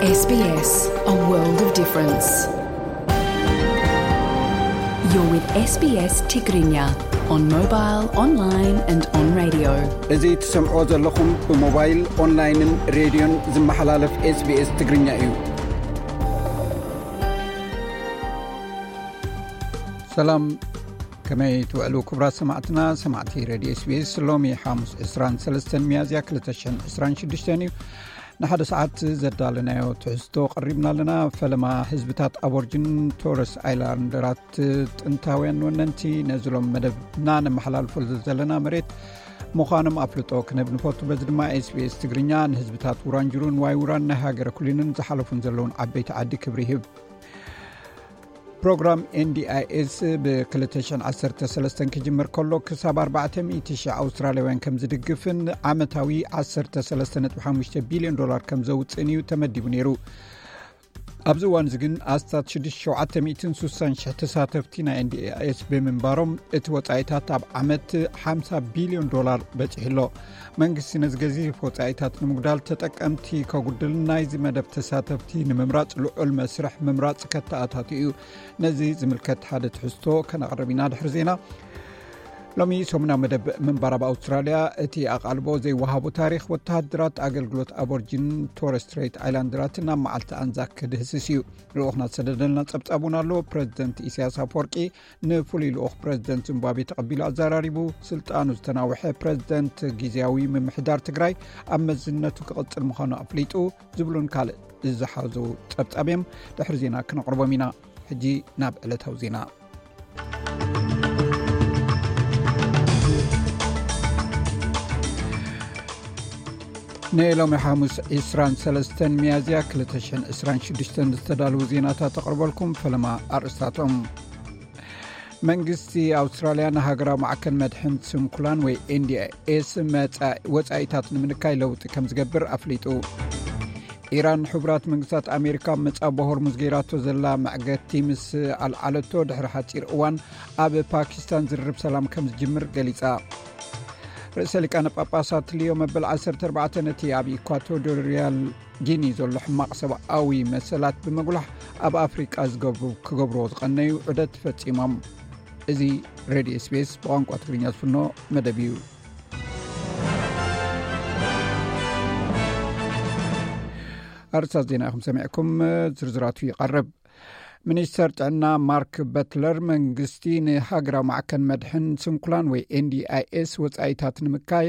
S B S, a world of difference. You're with S B S Tigrinya on mobile, online and on radio. እዚ ትሰምዕዎ ዘለኹም ብሞባይል፣ ኦንላይንን ሬድዮን ዝመሓላለፍ SBS ትግርኛ እዩ። ሰላም፣ ከመይ ትውዕሉ ክቡራት ሰማዕትና፣ ሰማዕቲ ሬድዮ SBS? ሎሚ ሓሙስ ዕስራን ሰለስተን ሚያዝያ ክልተ ሽሕን ዕስራን ሽዱሽተን እዩ። ንሓደ ሰዓት ዘዳለናዮ ትሕዝቶ ቀሪብና ኣለና። ፈለማ ህዝብታት ኣቦርጅን ቶረስ ኣይላንደራት ጥንታውያን ወነንቲ ነዚ ሎም መደብና ነመሓላልፈሉ ዘለና መሬት ምዃኖም ኣፍልጦ ክነብ ንፈቱ። በዚ ድማ SBS ትግርኛ ንህዝብታት ውራንጅሩን ዋይ ውራን ናይ ሃገረ ኩሊንን ዝሓለፉን ዘለውን ዓበይቲ ዓዲ ክብሪ ይህብ። ፕሮግራም NDIS ብ ክልተ ሽሕን ዓሰርተ ሰለስተን ክጅምር ከሎ ክሳብ ኣርባዕተ ሚእቲ ሽሕ ኣውስትራልያውያን ከም ዝድግፍን ዓመታዊ ዓሰርተ ሰለስተ ነጥቢ ሓሙሽተ ቢልዮን ዶላር ከም ዘውፅእን እዩ ተመዲቡ ነይሩ። ኣብዚ እዋን እዚ ግን ኣስታት ሽዱሽተ ሸውዓተ ሚእትን ሱሳን ሽሕ ተሳተፍቲ ናይ NDIS ብምንባሮም እቲ ወፃኢታት ኣብ ዓመት ሓምሳ ቢልዮን ዶላር በፂሑ ኣሎ። መንግስቲ ነዚ ገዚፍ ወጻኢታት ንምጉዳል ተጠቀምቲ ከጉድል ናይዚ መደብ ተሳተፍቲ ንምምራጽ ልዑል መስርሕ ምምራጽ ከተኣታቱ እዩ። ነዚ ዝምልከት ሓደ ትሕዝቶ ከነቕርብ ኢና ድሕሪ ዜና። ሎሚ ሰሙናዊ መደብ ምንባር ኣብ ኣውስትራልያ እቲ ኣቓልቦ ዘይወሃቡ ታሪኽ ወተሃደራት ኣገልግሎት ኣቦርጂን ቶረስ ስትሬት ኣይላንድራትን ኣብ መዓልቲ ኣንዛክ ክድህስስ እዩ። ልኡኽና ዝሰደደልና ጸብጻብ እውን ኣሎ። ፕረዚደንት ኢሳያስ ኣፈወርቂ ንፍሉይ ልኡኽ ፕረዚደንት ዚምባብዌ ተቐቢሉ ኣዘራሪቡ። ስልጣኑ ዝተናውሐ ፕረዚደንት ግዜያዊ ምምሕዳር ትግራይ ኣብ መዝነቱ ክቕጽል ምዃኑ ኣፍሊጡ ዝብሉን ካልእ ዝሓዙ ጸብጻብ እዮም። ድሕሪ ዜና ክነቕርቦም ኢና። ሕጂ ናብ ዕለታዊ ዜና። ንሎሚ ሓሙስ ዕስራን ሰለስተን ሚያዝያ ክልተ ሽሕን ዕስራን ሽዱሽተን ዝተዳለዉ ዜናታት ተቕርበልኩም። ፈለማ ኣርእስታቶም። መንግስቲ ኣውስትራልያ ንሃገራዊ ማዕከን መድሕን ስንኩላን ወይ NDIS መጻ-፣ ወጻኢታት ንምንካይ ለውጢ ከም ዝገብር ኣፍሊጡ። ኢራን ሕቡራት መንግስታት ኣሜሪካ ኣብ መጻቦ ሆርሙዝ ገይራቶ ዘላ መዕገቲ ምስ ኣልዓለቶ ድሕሪ ሓጺር እዋን ኣብ ፓኪስታን ዝርርብ ሰላም ከም ዝጅምር ገሊጻ። ርእሰ ሊቃነ ጳጳሳት ሊዮ መበል ዓሰርተ ኣርባዕተ ነቲ ኣብ ኢኳቶሪያል ጊኒ ዘሎ ሕማቕ ሰብኣዊ መሰላት ብምጉላሕ ኣብ ኣፍሪቃ ዝገብሩ-፣ ክገብርዎ ዝቐነዩ ዑደት ፈጺሞም። እዚ ሬድዮ SBS ብቋንቋ ትግርኛ ዝፍኖ መደብ እዩ። ኣርእስታት ዜና ኢኹም ሰሚዕኩም፣ ዝርዝራቱ ይቐርብ። ሚኒስተር ጥዕና ማርክ በትለር መንግስቲ ንሃገራዊ ማዕከን መድሕን ስንኩላን ወይ NDIS ወጻኢታት ንምካይ፣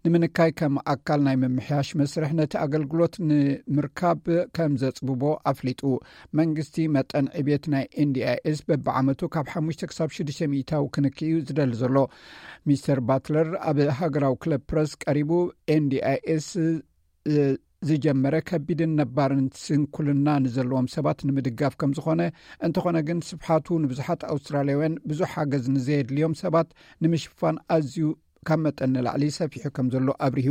ንምንካይ ከም ኣካል ናይ ምምሕያሽ መስርሕ ነቲ ኣገልግሎት ንምርካብ ከም ዘጽብቦ ኣፍሊጡ። መንግስቲ መጠን ዕብየት ናይ NDIS በብዓመቱ ካብ ሓሙሽተ ክሳብ ሽዱሽተ ሚእታዊ ክንክይ እዩ ዝደሊ ዘሎ። ሚስተር ባትለር ኣብ ሃገራዊ ክለብ ፕረስ ቀሪቡ NDIS ዝጀመረ ከቢድን ነባርን ስንኩልና ንዘለዎም ሰባት ንምድጋፍ ከም ዝኾነ፣ እንተኾነ ግን ስፍሓቱ ንብዙሓት ኣውስትራልያውያን ብዙሕ ሓገዝ ንዘየድልዮም ሰባት ንምሽፋን ኣዝዩ ካብ መጠን ንላዕሊ ሰፊሑ ከም ዘሎ ኣብሪሁ።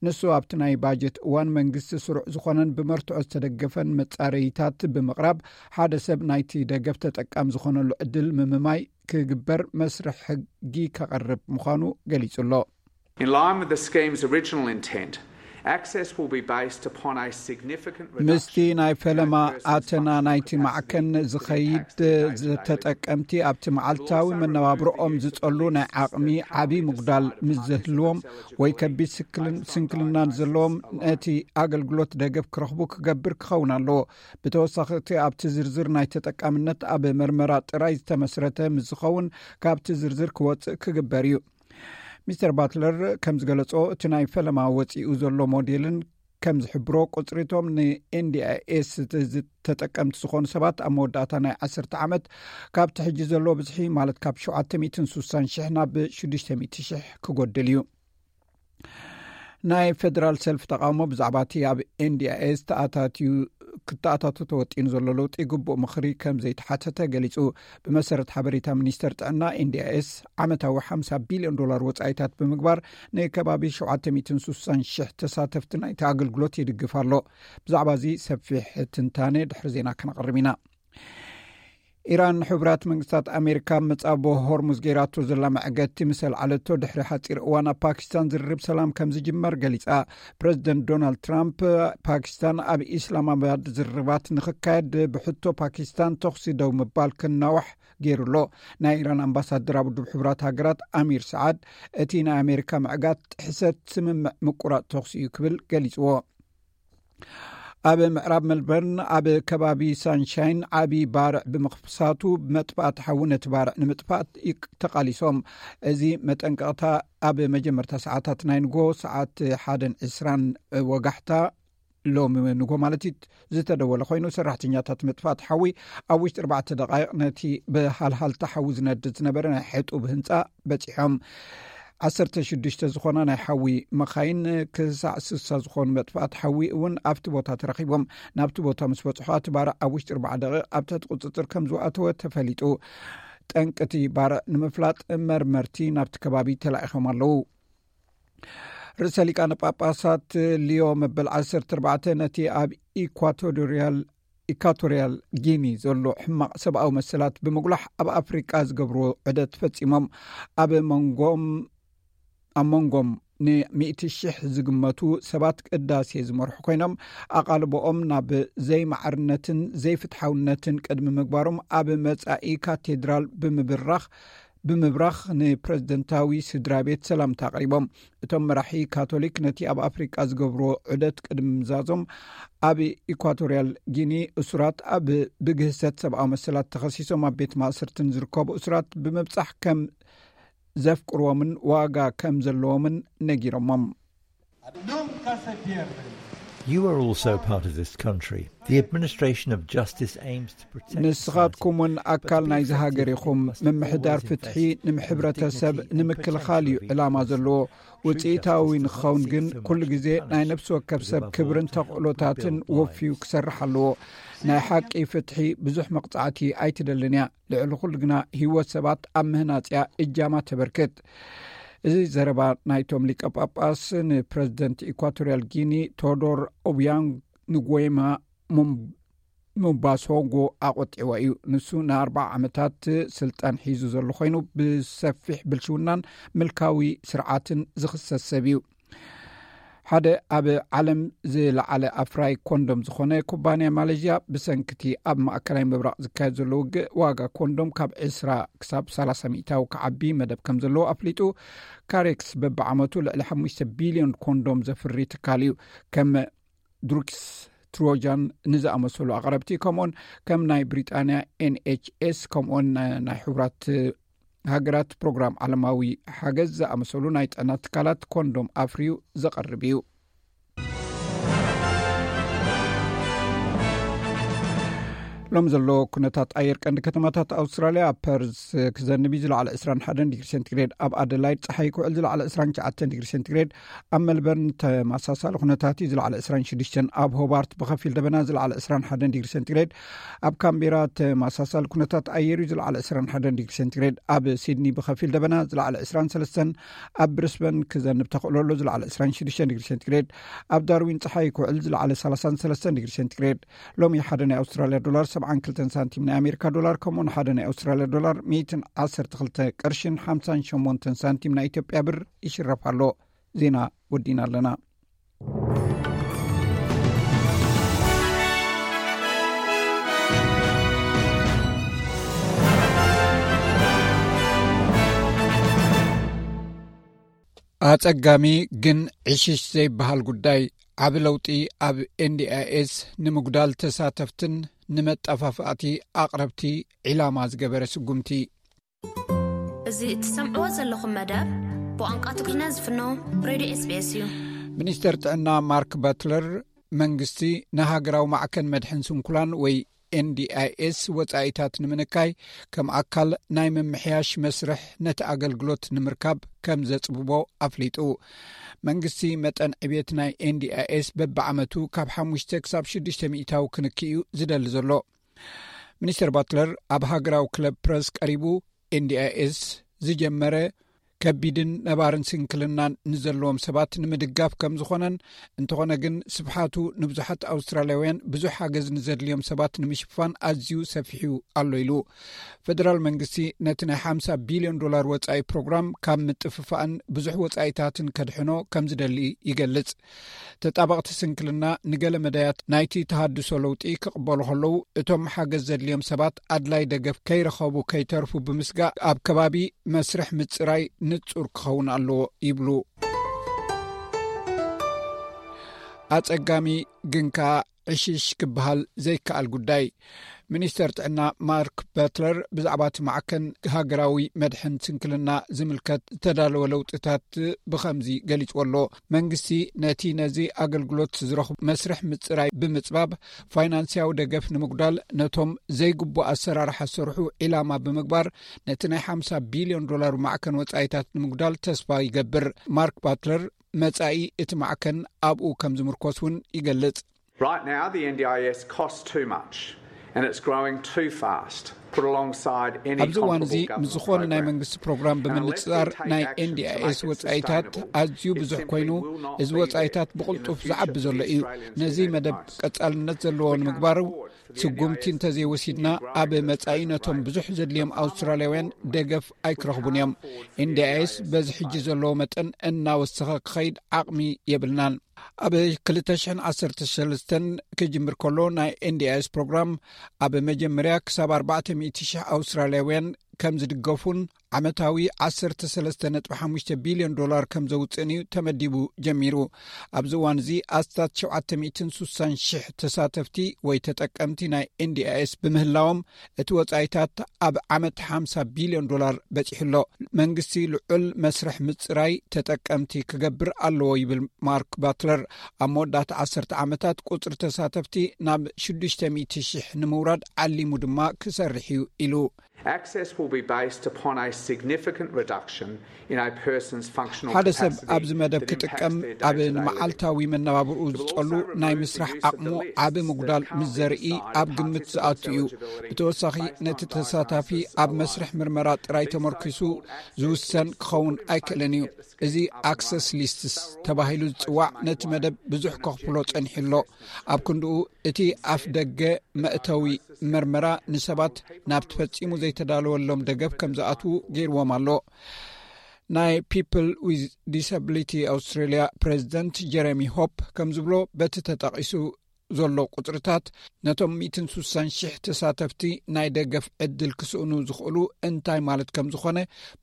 ንሱ ኣብቲ ናይ ባጀት እዋን መንግስቲ ስሩዕ ዝኾነን ብመርትዖ ዝተደገፈን መጻረይታት ብምቕራብ ሓደ ሰብ ናይቲ ደገፍ ተጠቃሚ ዝኾነሉ ዕድል ምምማይ ክግበር መስርሕ ሕጊ ከቐርብ ምዃኑ ገሊጹ ኣሎ። In line with the scheme's original intent, access will be based upon a significant ምስቲ reduction ናይ ፈለማ in a person's ኣተና ናይቲ ማዕከን ዝኸይድ ዝተጠቀምቲ ኣብቲ መዓልታዊ መነባብሮኦም ዝጸሉ ናይ ዓቕሚ ዓቢ ምጉዳል ምስ ዝህልዎም ወይ ከቢድ ስክልን-፣ ስንክልና ዘለዎም ነቲ ኣገልግሎት ደገፍ ክረኽቡ ክገብር ክኸውን ኣለዎ። ብተወሳኺ እቲ ኣብቲ ዝርዝር ናይ ተጠቃምነት ኣብ መርመራ ጥራይ ዝተመስረተ ምስ ዝኸውን ካብቲ ዝርዝር ክወጽእ ክግበር እዩ። ሚስተር ባትለር ከም ዝገለጾ፣ እቲ ናይ ፈለማ ወጺኡ ዘሎ ሞዴልን ከም ዝሕብሮ፣ ቁጽሪቶም ን NDIS ዝ-፣ ተጠቀምቲ ዝኾኑ ሰባት ኣብ መወዳእታ ናይ ዓሰርተ ዓመት ካብቲ ሕጂ ዘለዎ ብዝሒ፣ ማለት ካብ ሸውዓተ ሚእትን ሱሳን ሽሕ ናብ ሽዱሽተ ሚእቲ ሽሕ ክጎድል እዩ። ናይ ፌደራል ሰልፊ ተቃውሞ ብዛዕባ እቲ ኣብ NDIS ተኣታትዩ፣ ክተኣታቱ ተወጢኑ ዘሎ ለውጢ ግቡእ ምኽሪ ከም ዘይተሓተተ ገሊጹ። ብመሰረት ሓበሬታ ሚኒስተር ጥዕና፣ NDIS ዓመታዊ ሓምሳ ቢልዮን ዶላር ወጻኢታት ብምግባር ንከባቢ ሸውዓተ ሚእትን ሱሳን ሽሕ ተሳተፍቲ ናይቲ ኣገልግሎት ይድግፍ ኣሎ። ብዛዕባ እዚ ሰፊሕ ትንታነ ድሕሪ ዜና ከነቕርብ ኢና። ኢራን፣ ንሕቡራት መንግስታት ኣሜሪካ መጻቦ ሆርሙዝ ገይራቶ ዘላ መዕገቲ ምስ ኣልዓለቶ ድሕሪ ሓጺር እዋን፣ ኣብ ፓኪስታን ዝርርብ ሰላም ከም ዝጅመር ገሊጻ። ፕረዚደንት ዶናልድ ትራምፕ፣ ፓኪስታን ኣብ ኢስላማባድ ዝርርባት ንኽካየድ ብሕቶ ፓኪስታን ተኹሲ ደው ምባል ክናዋሕ ገይሩ ኣሎ። ናይ ኢራን ኣምባሳደር ኣብ ውድብ ሕቡራት ሃገራት ኣሚር ሰዓድ፣ እቲ ናይ ኣሜሪካ ምዕጋት ጥሕሰት ስምምዕ ምቁራጽ ተኹሲ እዩ ክብል ገሊጽዎ። ኣብ ምዕራብ ሜልበርን ኣብ ከባቢ ሳንሻይን ዓቢ ባርዕ ብምኽሳቱ፣ መጥፋእቲ ሓዊ ነቲ ባርዕ ንምጥፋእ ይቅ-፣ ተቓሊሶም። እዚ መጠንቀቕታ ኣብ መጀመርታ ሰዓታት ናይ ንጎ ሰዓት ሓደን ዕስራን ወጋሕታ ሎሚ ንጎ ማለት እዩ ዝተደወለ ኮይኑ፣ ሰራሕተኛታት መጥፋእቲ ሓዊ ኣብ ውሽጢ ኣርባዕተ ደቃይቕ ነቲ ብሃልሃልታ ሓዊ ዝነድድ ዝነበረ ናይ ሕጡብ ህንጻ በጺሖም። ዓሰርተ ሽዱሽተ ዝኾና ናይ ሓዊ መኻይን ክሳዕ ስሳ ዝኾኑ መጥፋእቲ ሓዊ እውን ኣብቲ ቦታ ተረኺቦም። ናብቲ ቦታ ምስ በጽሑ፣ እቲ ባርዕ ኣብ ውሽጢ ኣርባዓ ደቂቕ ኣብ ትሕቲ ቁጽጽር ከም ዝኣተወ ተፈሊጡ። ጠንቅቲ ባርዕ ንምፍላጥ መርመርቲ ናብቲ ከባቢ ተላኢኾም ኣለዉ። ርእሰ ሊቃነ ጳጳሳት ሊዮ መበል ዓሰርተ ኣርባዕተ ነቲ ኣብ ኢኳቶሪያል ኢኳቶሪያል ጊኒ ዘሎ ሕማቕ ሰብኣዊ መሰላት ብምጉላሕ ኣብ ኣፍሪቃ ዝገብርዎ ዑደት ፈጺሞም። ኣብ መንጎም ኣብ መንጎም ንሚእቲ ሽሕ ዝግመቱ ሰባት ቅዳሴ ዝመርሑ ኮይኖም፣ ኣቓልቦኦም ናብ ዘይማዕርነትን ዘይፍትሓውነትን ቅድሚ ምግባሮም፣ ኣብ መጻኢ ካቴድራል ብምብራኽ ብምብራኽ ንፕረዚደንታዊ ስድራ ቤት ሰላምታ ኣቕሪቦም። እቶም መራሒ ካቶሊክ ነቲ ኣብ ኣፍሪቃ ዝገብርዎ ዑደት ቅድሚ ምምዛዞም፣ ኣብ ኢኳቶሪያል ጊኒ እሱራት ኣብ ብግህሰት ሰብኣዊ መሰላት ተኸሲሶም ኣብ ቤት ማእሰርትን ዝርከቡ እሱራት ብምብጻሕ ከም ዘፍቅርዎምን ዋጋ ከም ዘለዎምን ነጊሮሞም። You are also part of this country. The administration of justice aims to protect ንስኻትኩም እውን ኣካል ናይዚ ሃገር ኢኹም። ምምሕዳር ፍትሒ ንሕብረተሰብ ንምክልኻል እዩ ዕላማ ዘለዎ። ውፅኢታዊ ንክኸውን ግን ኩሉ ግዜ ናይ ነፍሲ ወከፍ ሰብ ክብርን ተኽእሎታትን ወፍዩ ክሰርሕ ኣለዎ። ናይ ሓቂ ፍትሒ ብዙሕ መቕፃዕቲ ኣይትደልን እያ። ልዕሊ ኩሉ ግና ህይወት ሰባት ኣብ ምህናፅ እያ እጃማ ተበርክት። እዚ ዘረባ ናይቶም ሊቀ ጳጳስ ንፕረዚደንት ኢኳቶሪያል ጊኒ ቶዶር ኦቢያንግ ንጎማ ሙምባሶንጎ ኣቖጢዕዎ እዩ። ንሱ ንኣርባዓ ዓመታት ስልጣን ሒዙ ዘሎ ኮይኑ፣ ብሰፊሕ ብልሽውናን ምልካዊ ስርዓትን ዝኽሰስ ሰብ እዩ። ሓደ ኣብ ዓለም ዝለዓለ ኣፍራይ ኮንዶም ዝኾነ ኩባንያ ማሌዥያ፣ ብሰንክቲ ኣብ ማእከላይ ምብራቕ ዝካየድ ዘሎ ውግእ፣ ዋጋ ኮንዶም ካብ ዕስራ ክሳብ ሰላሳ ሚእታዊ ክዓቢ መደብ ከም ዘለዎ ኣፍሊጡ። ካሬክስ በብዓመቱ ልዕሊ ሓሙሽተ ቢልዮን ኮንዶም ዘፍሪ ትካል እዩ። ከም ድሩክስ ትሮጃን ንዝኣመሰሉ ኣቕረብቲ፣ ከምኡውን ከም ናይ ብሪጣንያ ኤንኤችኤስ፣ ከምኡውን ናይ ሕቡራት ሃገራት ፕሮግራም ዓለማዊ ሓገዝ ዝኣመሰሉ ናይ ጥዕና ትካላት ኮንዶም ኣፍርዩ ዘቐርብ እዩ። ሎም ዘሎ ኩነታት ኣየር ቀንዲ ከተማታት ኣውስትራልያ፣ ኣብ ፐርዝ ክዘንብ እዩ፣ ዝለዓለ ዕስራን ሓደን ዲግሪ ሴንቲግሬድ። ኣብ ኣደላይድ ጸሓይ ክውዕል፣ ዝለዓለ ዕስራን ትሽዓተን ዲግሪ ሴንቲግሬድ። ኣብ ሜልበርን ተመሳሳሊ ኩነታት እዩ፣ ዝለዓለ ዕስራን ሽዱሽተን። ኣብ ሆባርት ብኸፊል ደበና፣ ዝለዓለ ዕስራን ሓደን ዲግሪ ሴንቲግሬድ። ኣብ ካምቤራ ተመሳሳሊ ኩነታት ኣየር እዩ፣ ዝለዓለ ዕስራን ሓደን ዲግሪ ሴንቲግሬድ። ኣብ ሲድኒ ብኸፊል ደበና፣ ዝለዓለ ዕስራን ሰለስተን። ኣብ ብሪስበን ክዘንብ ተኽእሎ ኣሎ፣ ዝለዓለ ዕስራን ሽዱሽተን ዲግሪ ሴንቲግሬድ። ኣብ ዳርዊን ጸሓይ ክውዕል፣ ዝለዓለ ሰላሳን ሰለስተን ዲግሪ ሴንቲግሬድ። ሎሚ ሓደ ናይ ኣውስትራልያ ዶላር ሰብዓን ክልተን ሳንቲም ናይ ኣሜሪካ ዶላር፣ ከምኡውን ሓደ ናይ ኣውስትራልያ ዶላር ሚእትን ዓሰርተ ክልተ ቅርሽን ሓምሳን ሸሞንተን ሳንቲም ናይ ኢትዮጵያ ብር ይሽረፍ ኣሎ። ዜና ወዲና ኣለና። ኣጸጋሚ ግን ዕሽሽ ዘይበሃል ጉዳይ፣ ዓቢ ለውጢ ኣብ ኤንዲኣይኤስ ንምጉዳል ተሳተፍትን ንመጠፋፋእቲ ኣቕረብቲ ዒላማ ዝገበረ ስጉምቲ። እዚ እትሰምዕዎ ዘለኹም መደብ ብቋንቋ ትግርኛ ዝፍኖ ሬድዮ ኤስቢኤስ እዩ። ሚኒስተር ጥዕና ማርክ ባትለር፣ መንግስቲ ንሃገራዊ ማዕከን መድሕን ስንኩላን ወይ ኤንዲኣይኤስ ወጻኢታት ንምንካይ፣ ከም ኣካል ናይ ምምሕያሽ መስርሕ ነቲ ኣገልግሎት ንምርካብ ከም ዘጽብቦ ኣፍሊጡ። መንግስቲ መጠን ዕብየት ናይ ኤንዲኣይኤስ በብዓመቱ ካብ ሓሙሽተ ክሳብ ሽዱሽተ ሚእታዊ ክንክእ እዩ ዝደሊ ዘሎ። ሚኒስተር ባትለር ኣብ ሃገራዊ ክለብ ፕረስ ቀሪቡ፣ ኤንዲኣይኤስ ዝጀመረ ከቢድን ነባርን ስንክልናን ንዘለዎም ሰባት ንምድጋፍ ከም ዝኾነን፣ እንተኾነ ግን ስፍሓቱ ንብዙሓት ኣውስትራልያውያን ብዙሕ ሓገዝ ንዘድልዮም ሰባት ንምሽፋን ኣዝዩ ሰፊሑ ኣሎ ኢሉ። ፈደራል መንግስቲ ነቲ ናይ ሓምሳ ቢልዮን ዶላር ወጻኢ ፕሮግራም ካብ ምጥፍፋእን ብዙሕ ወጻኢታትን ከድሕኖ ከም ዝደሊ ይገልጽ። ተጣበቕቲ ስንክልና ንገለ መዳያት ናይቲ ተሃድሶ ለውጢ ክቕበሉ ከለዉ፣ እቶም ሓገዝ ዘድልዮም ሰባት ኣድላይ ደገፍ ከይረኸቡ ከይተርፉ ብምስጋእ፣ ኣብ ከባቢ መስርሕ ምጽራይ ንጹር ክኸውን ኣለዎ ይብሉ። ኣጸጋሚ ግን ከኣ ዕሽሽ ክበሃል ዘይከኣል ጉዳይ። ሚኒስተር ጥዕና ማርክ በትለር ብዛዕባ እቲ ማዕከን ሃገራዊ መድሕን ስንክልና ዝምልከት ዝተዳለወ ለውጥታት ብኸምዚ ገሊጽዎ ኣሎ። መንግስቲ ነቲ ነዚ ኣገልግሎት ዝረኽቡ መስርሕ ምጽራይ ብምጽባብ፣ ፋይናንስያዊ ደገፍ ንምጉዳል፣ ነቶም ዘይግቡእ ኣሰራርሓ ዝሰርሑ ዒላማ ብምግባር፣ ነቲ ናይ ሓምሳ ቢልዮን ዶላር ማዕከን ወጻኢታት ንምጉዳል ተስፋ ይገብር። ማርክ ባትለር መጻኢ እቲ ማዕከን ኣብኡ ከም ዝምርኮስ እውን ይገልጽ። Right now, the N D I S costs too much and it's growing too fast. Put alongside any ኣብዚ እዋን እዚ comparable ምስ government ዝኾነ ናይ program. መንግስቲ ፕሮግራም ብምንጽጻር፣ ናይ ኤንዲኣይኤስ ወጻኢታት ኣዝዩ ብዙሕ ኮይኑ፣ እዚ ወጻኢታት ብቕልጡፍ ዝዓቢ ዘሎ እዩ። ነዚ መደብ ቀጻልነት ዘለዎ ንምግባሩ ስጉምቲ እንተዘይወሲድና፣ ኣብ መጻኢ ነቶም ብዙሕ ዘድልዮም ኣውስትራልያውያን ደገፍ ኣይክረኽቡን እዮም። ኤንዲኣይኤስ በዚ ሕጂ ዘለዎ መጠን እናወሰኸ ክኸይድ ዓቕሚ የብልናን። ኣብ ክልተ ሽሕን ዓሰርተ ሰለስተን ክጅምር ከሎ፣ ናይ ኤንዲኣይኤስ ፕሮግራም ኣብ መጀመርያ ክሳብ ኣርባዕተ ሚእቲ ሽሕ ኣውስትራልያውያን ከም ዝድገፉን ዓመታዊ ዓሰርተ ሰለስተ ነጥቢ ሓሙሽተ ቢልዮን ዶላር ከም ዘውጽእን እዩ ተመዲቡ ጀሚሩ። ኣብዚ እዋን እዚ ኣስታት ሸውዓተ ሚእትን ስሳን ሽሕ ተሳተፍቲ ወይ ተጠቀምቲ ናይ ኤንዲኣይኤስ ብምህላዎም፣ እቲ ወጻኢታት ኣብ ዓመት ሓምሳ ቢልዮን ዶላር በጺሑ ኣሎ። መንግስቲ ልዑል መስርሕ ምጽራይ ተጠቀምቲ ክገብር ኣለዎ ይብል ማርክ ባትለር። ኣብ መወዳእታ ዓሰርተ ዓመታት ቁጽሪ ተሳተፍቲ ናብ ሽዱሽተ ሚእቲ ሽሕ ንምውራድ ዓሊሙ ድማ ክሰርሕ እዩ ኢሉ። Access will be based upon a significant reduction in a person's functional ሓደ ሰብ ኣብዚ መደብ ክጥቀም ኣብ ንመዓልታዊ መነባብርኡ ዝጸሉ ናይ ምስራሕ ዓቕሙ ዓቢ ምጉዳል ምስ ዘርኢ ኣብ ግምት ዝኣቱ እዩ። ብተወሳኺ ነቲ ተሳታፊ ኣብ መስርሕ ምርመራ ጥራይ ተመርኪሱ ዝውሰን ክኸውን ኣይክእልን እዩ። እዚ ኣክሰስ ሊስትስ ተባሂሉ ዝጽዋዕ ነቲ መደብ ብዙሕ ከኽፍሎ ጸኒሑ ኣሎ። ኣብ ክንድኡ እቲ ኣፍ ደገ መእተዊ መርመራ ንሰባት ናብቲ ፈጺሙ ዘይተዳለወሎም ደገፍ ከም ዝኣትዉ ገይርዎም ኣሎ። ናይ ፒፕል ዊዝ ዲሳብሊቲ ኣውስትራልያ ፕሬዚደንት ጀረሚ ሆፕ ከም ዝብሎ፣ በቲ ተጠቒሱ ዘሎ ቁጽርታት ነቶም ሚእትን ስሳን ሽሕ ተሳተፍቲ ናይ ደገፍ ዕድል ክስእኑ ዝኽእሉ እንታይ ማለት ከም ዝኾነ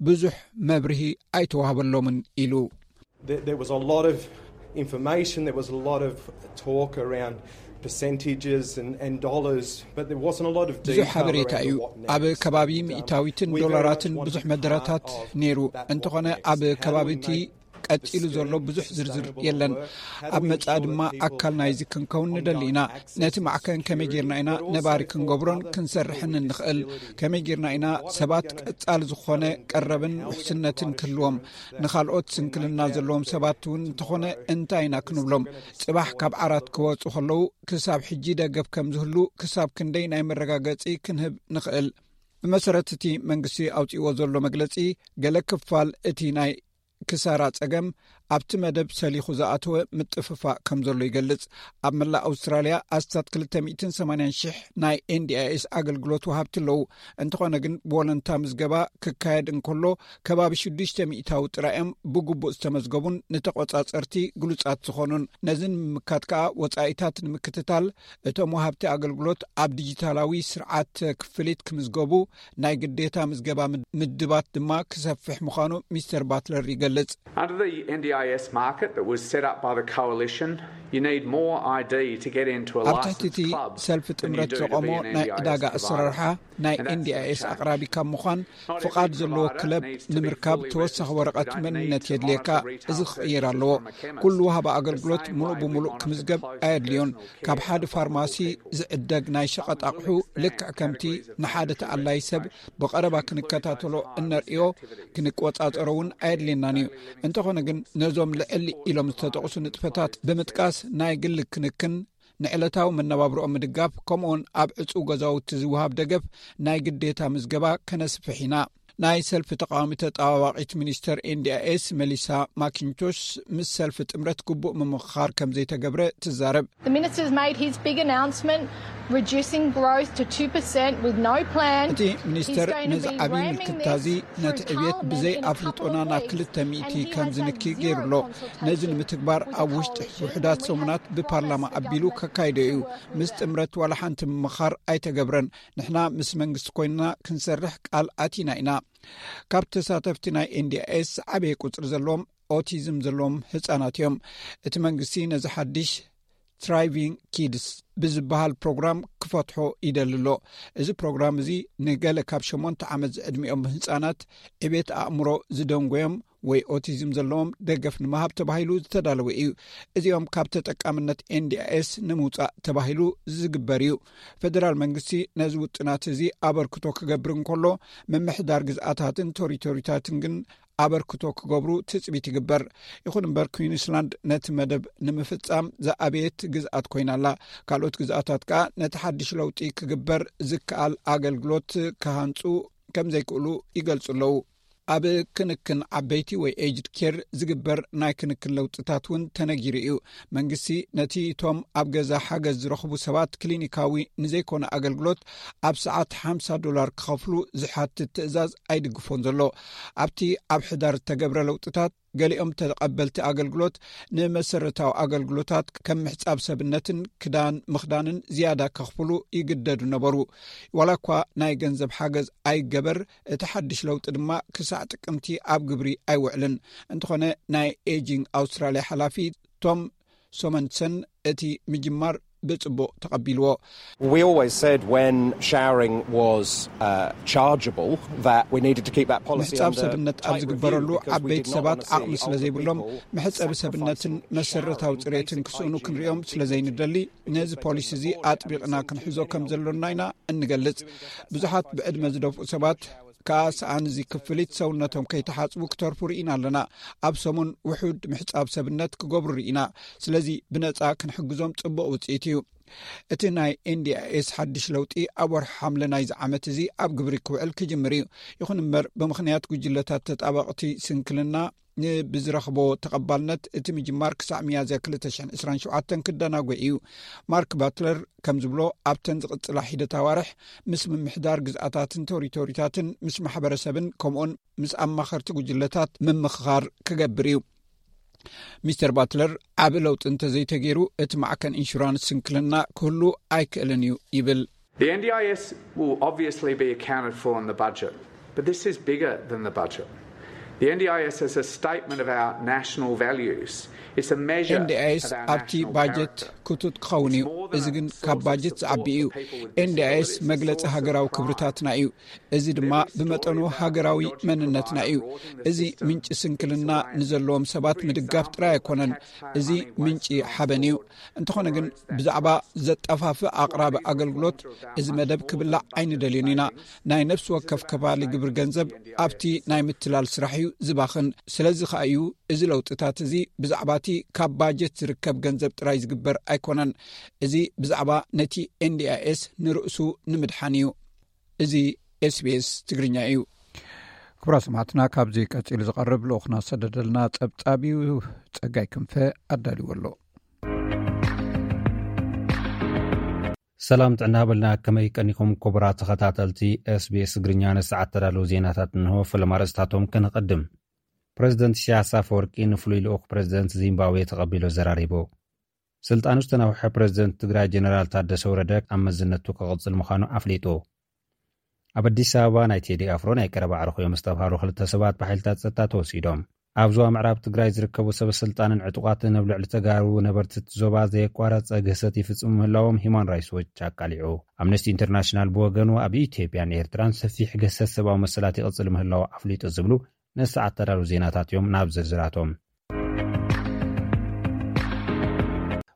ብዙሕ መብርሂ ኣይተዋህበሎምን ኢሉ። There, there was a lot of information, there was a lot of talk around percentages and, and dollars, but there wasn't a lot of detail ብዙሕ ሓበሬታ እዩ። ኣብ ከባቢ ሚእታዊትን ዶላራትን ብዙሕ መደራታት ነይሩ። እንተኾነ ኣብ ከባቢ እቲ ቀጺሉ ዘሎ ብዙሕ ዝርዝር የለን። ኣብ መጻኢ ድማ ኣካል ናይዚ ክንከውን ንደሊ ኢና። ነቲ ማዕከን ከመይ ጌርና ኢና ነባሪ ክንገብሮን ክንሰርሕን እንኽእል? ከመይ ጌርና ኢና ሰባት ቀጻሊ ዝኾነ ቀረብን ውሕስነትን ክህልዎም? ንኻልኦት ስንክልና ዘለዎም ሰባት እውን እንተኾነ እንታይ ኢና ክንብሎም? ጽባሕ ካብ ዓራት ክወጹ ከለዉ ክሳብ ሕጂ ደገፍ ከም ዝህሉ ክሳብ ክንደይ ናይ መረጋገጺ ክንህብ ንኽእል? ብመሰረት እቲ መንግስቲ ኣውጺእዎ ዘሎ መግለጺ፣ ገለ ክፋል እቲ ናይ ክሳራ ጸገም ኣብቲ መደብ ሰሊኹ ዝኣተወ ምጥፍፋእ ከም ዘሎ ይገልጽ። ኣብ መላእ ኣውስትራልያ ኣስታት ክልተ ሚእትን ሰማንያን ሽሕ ናይ ኤንዲኣይኤስ ኣገልግሎት ወሃብቲ ኣለዉ። እንተኾነ ግን ብወለንታ ምዝገባ ክካየድ እንከሎ ከባቢ ሽዱሽተ ሚእታዊ ጥራይ እዮም ብግቡእ ዝተመዝገቡን ንተቖጻጸርቲ ግሉጻት ዝኾኑን። ነዚ ንምምካት ከኣ ወጻኢታት ንምክትታል እቶም ወሃብቲ ኣገልግሎት ኣብ ዲጂታላዊ ስርዓት ክፍሊት ክምዝገቡ ናይ ግዴታ ምዝገባ ምድ-፣ ምድባት ድማ ክሰፍሕ ምዃኑ ሚስተር ባትለር ይገልጽ። Under the N D I S market that was set up by the coalition, you need more I D to get into a ኣብ ትሕቲ እቲ licensed club ሰልፊ than you ጥምረት do to ዘቆሞ be an ናይ N D I S ዕዳጋ provider. ኣሰራርሓ ናይ And that's ኤንዲኣይኤስ gonna change. ኣቕራቢ ካብ ምዃን ፍቓድ ዘለዎ ክለብ ንምርካብ ተወሳኺ ወረቐት መንነት የድልየካ። እዚ ክቕየር ኣለዎ። ኩሉ ወሃቢ ኣገልግሎት ምሉእ ብምሉእ ክምዝገብ ኣየድልዮን። ካብ ሓደ ፋርማሲ ዝዕደግ ናይ ሸቐጥ ኣቕሑ ልክዕ ከምቲ ንሓደ ተኣላይ ሰብ ብቐረባ ክንከታተሎ እነርእዮ፣ ክንቆጻጸሮ እውን ኣየድልየናን እዩ። እንተኾነ ግን ነዞም ልዕል ኢሎም ዝተጠቕሱ ንጥፈታት ብምጥቃስ ናይ ግሊ ክንክን፣ ንዕለታዊ መነባብሮኦም ምድጋፍ፣ ከምኡውን ኣብ ዕጹው ገዛውቲ ዝወሃብ ደገፍ ናይ ግዴታ ምዝገባ ከነስፍሕ ኢና። ናይ ሰልፊ ተቃዋሚ ተጣዋዋቂት ሚኒስተር ኤንዲኣይኤስ መሊሳ ማኪንቶሽ፣ ምስ ሰልፊ ጥምረት ግቡእ ምምኽኻር ከም ዘይተገብረ ትዛረብ። The minister's made his big announcement, reducing growth to two percent with no plan. እቲ ሚኒስተር ነዚ ዓብዪ ምልክታ እዚ፣ ነቲ ዕብየት ብዘይ ኣፍልጦና ናብ ክልተ ሚእቲ ከም ዝንኪ ገይሩ ኣሎ። ነዚ ንምትግባር ኣብ ውሽጢ ውሕዳት ሰሙናት ብፓርላማ ኣቢሉ ከካይዶ እዩ። ምስ ጥምረት ዋላ ሓንቲ ምምኻር ኣይተገብረን። ንሕና ምስ መንግስቲ ኮይንና ክንሰርሕ ቃል ኣቲና ኢና። ካብ ተሳተፍቲ ናይ ኤንዲኣይኤስ ዓበየ ቁፅሪ ዘለዎም ኦቲዝም ዘለዎም ህፃናት እዮም። እቲ መንግስቲ ነዚ ሓድሽ ትራይቪንግ ኪድስ ብዝበሃል ፕሮግራም ክፈትሖ ይደሊ ኣሎ። እዚ ፕሮግራም እዚ ንገለ ካብ ሸሞንተ ዓመት ዝዕድሚኦም ህፃናት ዕቤት ኣእምሮ ዝደንጎዮም ወይ ኦቲዝም ዘለዎም ደገፍ ንምሃብ ተባሂሉ ዝተዳለወ እዩ። እዚኦም ካብ ተጠቃምነት ኤንዲኣይኤስ ንምውፃእ ተባሂሉ ዝግበር እዩ። ፌደራል መንግስቲ ነዚ ውጥናት እዚ ኣበርክቶ ክገብር እንከሎ፣ ምምሕዳር ግዝኣታትን ቶሪቶሪታትን ግን ኣበርክቶ ክገብሩ ትፅቢት ይግበር። ይኹን እምበር፣ ኩዊንስላንድ ነቲ መደብ ንምፍፃም ዝኣበየት ግዝኣት ኮይና ኣላ። ካልኦት ግዝኣታት ከኣ ነቲ ሓድሽ ለውጢ ክግበር ዝከኣል ኣገልግሎት ክሃንፁ ከም ዘይክእሉ ይገልፁ ኣለዉ። ኣብ ክንክን ዓበይቲ ወይ ኤጅድ ኬር ዝግበር ናይ ክንክን ለውጥታት እውን ተነጊሩ እዩ። መንግስቲ ነቲ እቶም ኣብ ገዛ ሓገዝ ዝረኽቡ ሰባት ክሊኒካዊ ንዘይኮነ ኣገልግሎት ኣብ ሰዓት ሓምሳ ዶላር ክኸፍሉ ዝሓትት ትእዛዝ ኣይድግፎን ዘሎ። ኣብቲ ኣብ ሕዳር ዝተገብረ ለውጥታት፣ ገሊኦም ተቐበልቲ ኣገልግሎት ንመሰረታዊ ኣገልግሎታት ከም ምሕጻብ ሰብነትን ክዳን ምኽዳንን ዝያዳ ከኽፍሉ ይግደዱ ነበሩ። ዋላ እኳ ናይ ገንዘብ ሓገዝ ኣይገበር፣ እቲ ሓድሽ ለውጢ ድማ ክሳዕ ጥቅምቲ ኣብ ግብሪ ኣይውዕልን። እንተኾነ፣ ናይ ኤጂንግ ኣውስትራልያ ሓላፊ ቶም ሶመንሰን እቲ ምጅማር ብጽቡቕ ተቐቢልዎ። We always said when showering was uh, chargeable that we needed to keep that policy ምሕጻብ under ሰብነት ኣብ tight ዝግበረሉ review because we ዓበይቲ did not ሰባት want to see ዓቕሚ ስለ older ዘይብሎም people መሕጸቢ having ሰብነትን to መሰረታዊ shower in ጽሬትን basic ክስእኑ hygiene ክንሪኦም ስለ ዘይንደሊ ነዚ ፖሊሲ እዚ ኣጥቢቕና ክንሕዞ ከም ዘሎና ኢና እንገልጽ። ብዙሓት ብዕድመ ዝደፍኡ ሰባት ከኣ ሰኣን እዚ ክፍሊት ሰውነቶም ከይተሓጽቡ ክተርፉ ርኢና ኣለና። ኣብ ሰሙን ውሑድ ምሕጻብ ሰብነት ክገብሩ ርኢና። ስለዚ ብነጻ ክንሕግዞም ጽቡቕ ውጽኢት እዩ። እቲ ናይ ኤንዲኣይኤስ ሓድሽ ለውጢ ኣብ ወርሒ ሓምለ ናይዚ ዓመት እዚ ኣብ ግብሪ ክውዕል ክጅምር እዩ። ይኹን እምበር፣ ብምኽንያት ጉጅለታት ተጣበቕቲ ስንክልና ንብዝረኽቦ ተቐባልነት፣ እቲ ምጅማር ክሳዕ ሚያዝያ ክልተ ሽሕን ዕስራን ሸውዓተን ክደናጎ እዩ። ማርክ ባትለር ከም ዝብሎ፣ ኣብተን ዝቕጽላ ሒደት ኣዋርሕ ምስ ምምሕዳር ግዝኣታትን ቶሪቶሪታትን ምስ ማሕበረሰብን ከምኡን ምስ ኣማኸርቲ ጉጅለታት ምምኽኻር ክገብር እዩ። ሚስተር ባትለር፣ ዓቢ ለውጢ እንተዘይተገይሩ፣ እቲ ማዕከን ኢንሹራንስ ስንክልና ክህሉ ኣይክእልን እዩ ይብል። The N D I S will obviously be accounted for in the budget, but this is bigger than the budget. The N D I S is a statement of our national values. It's a measure ኤንዲኣይኤስ of our ኣብቲ national ባጀት character. ክቱት ክኸውን እዩ። እዚ ግን ካብ ባጀት ዝዓቢ እዩ። ኤንዲኣይኤስ መግለጺ ሃገራዊ ክብርታትና እዩ። እዚ ድማ ብመጠኑ ሃገራዊ መንነትና እዩ። እዚ ምንጪ ስንክልና ንዘለዎም ሰባት ምድጋፍ ጥራይ ኣይኮነን። እዚ ምንጪ ሓበን እዩ። እንተኾነ ግን፣ ብዛዕባ ዘጠፋፍእ ኣቕራቢ ኣገልግሎት እዚ መደብ ክብላዕ ኣይንደልዮን ኢና። ናይ ነፍሲ ወከፍ ከባሊ ግብሪ ገንዘብ ኣብቲ ናይ ምትላል ስራሕ እዩ ዝባኽን። ስለዚ ከኣ እዩ እዚ ለውጥታት እዚ ብዛዕባ እቲ ካብ ባጀት ዝርከብ ገንዘብ ጥራይ ዝግበር ኣይኮነን። እዚ ብዛዕባ ነቲ ኤንዲኣይኤስ ንርእሱ ንምድሓን እዩ። እዚ ኤስቢኤስ ትግርኛ እዩ። ክቡራት ሰማዕትና፣ ካብዚ ቀጺሉ ዝቐርብ ልኡኽና ዝሰደደልና ጸብጻብ እዩ። ጸጋይ ክንፈ ኣዳልዎ ኣሎ። ሰላም ጥዕና በልና። ከመይ ቀኒኹም ክቡራት ተኸታተልቲ ኤስቢኤስ ትግርኛ? ንሰዓት ተዳለዉ ዜናታት እንሆ። ፈለማ ርእስታቶም ከነቐድም። ፕረዚደንት ኢሳያስ ኣፈወርቂ ንፍሉይ ልኡኽ ፕረዚደንት ዚምባብዌ ተቐቢሉ ኣዘራሪቡ። ስልጣኑ ዝተናውሐ ፕረዚደንት ትግራይ ጀነራል ታደሰ ወረደ ኣብ መዝነቱ ክቕጽል ምዃኑ ኣፍሊጡ። ኣብ ኣዲስ ኣበባ ናይ ቴዲ ኣፍሮ ናይ ቀረባ ኣዕሩኽ እዮም ዝተብሃሉ ክልተ ሰባት ብሓይልታት ጸጥታ ተወሲዶም። ኣብ ዞባ ምዕራብ ትግራይ ዝርከቡ ሰበ ስልጣንን ዕጡቓትን ኣብ ልዕሊ ተጋሩ ነበርቲ እቲ ዞባ ዘየቋረጸ ግህሰት ይፍጽሙ ምህላዎም ሂማን ራይትስ ዎች ኣቃሊዑ። ኣምነስቲ ኢንተርናሽናል ብወገኑ ኣብ ኢትዮጵያን ኤርትራን ሰፊሕ ግህሰት ሰብኣዊ መሰላት ይቕጽል ምህላው ኣፍሊጡ ዝብሉ ንሰዓት ተዳሉ ዜናታት እዮም። ናብ ዝርዝራቶም።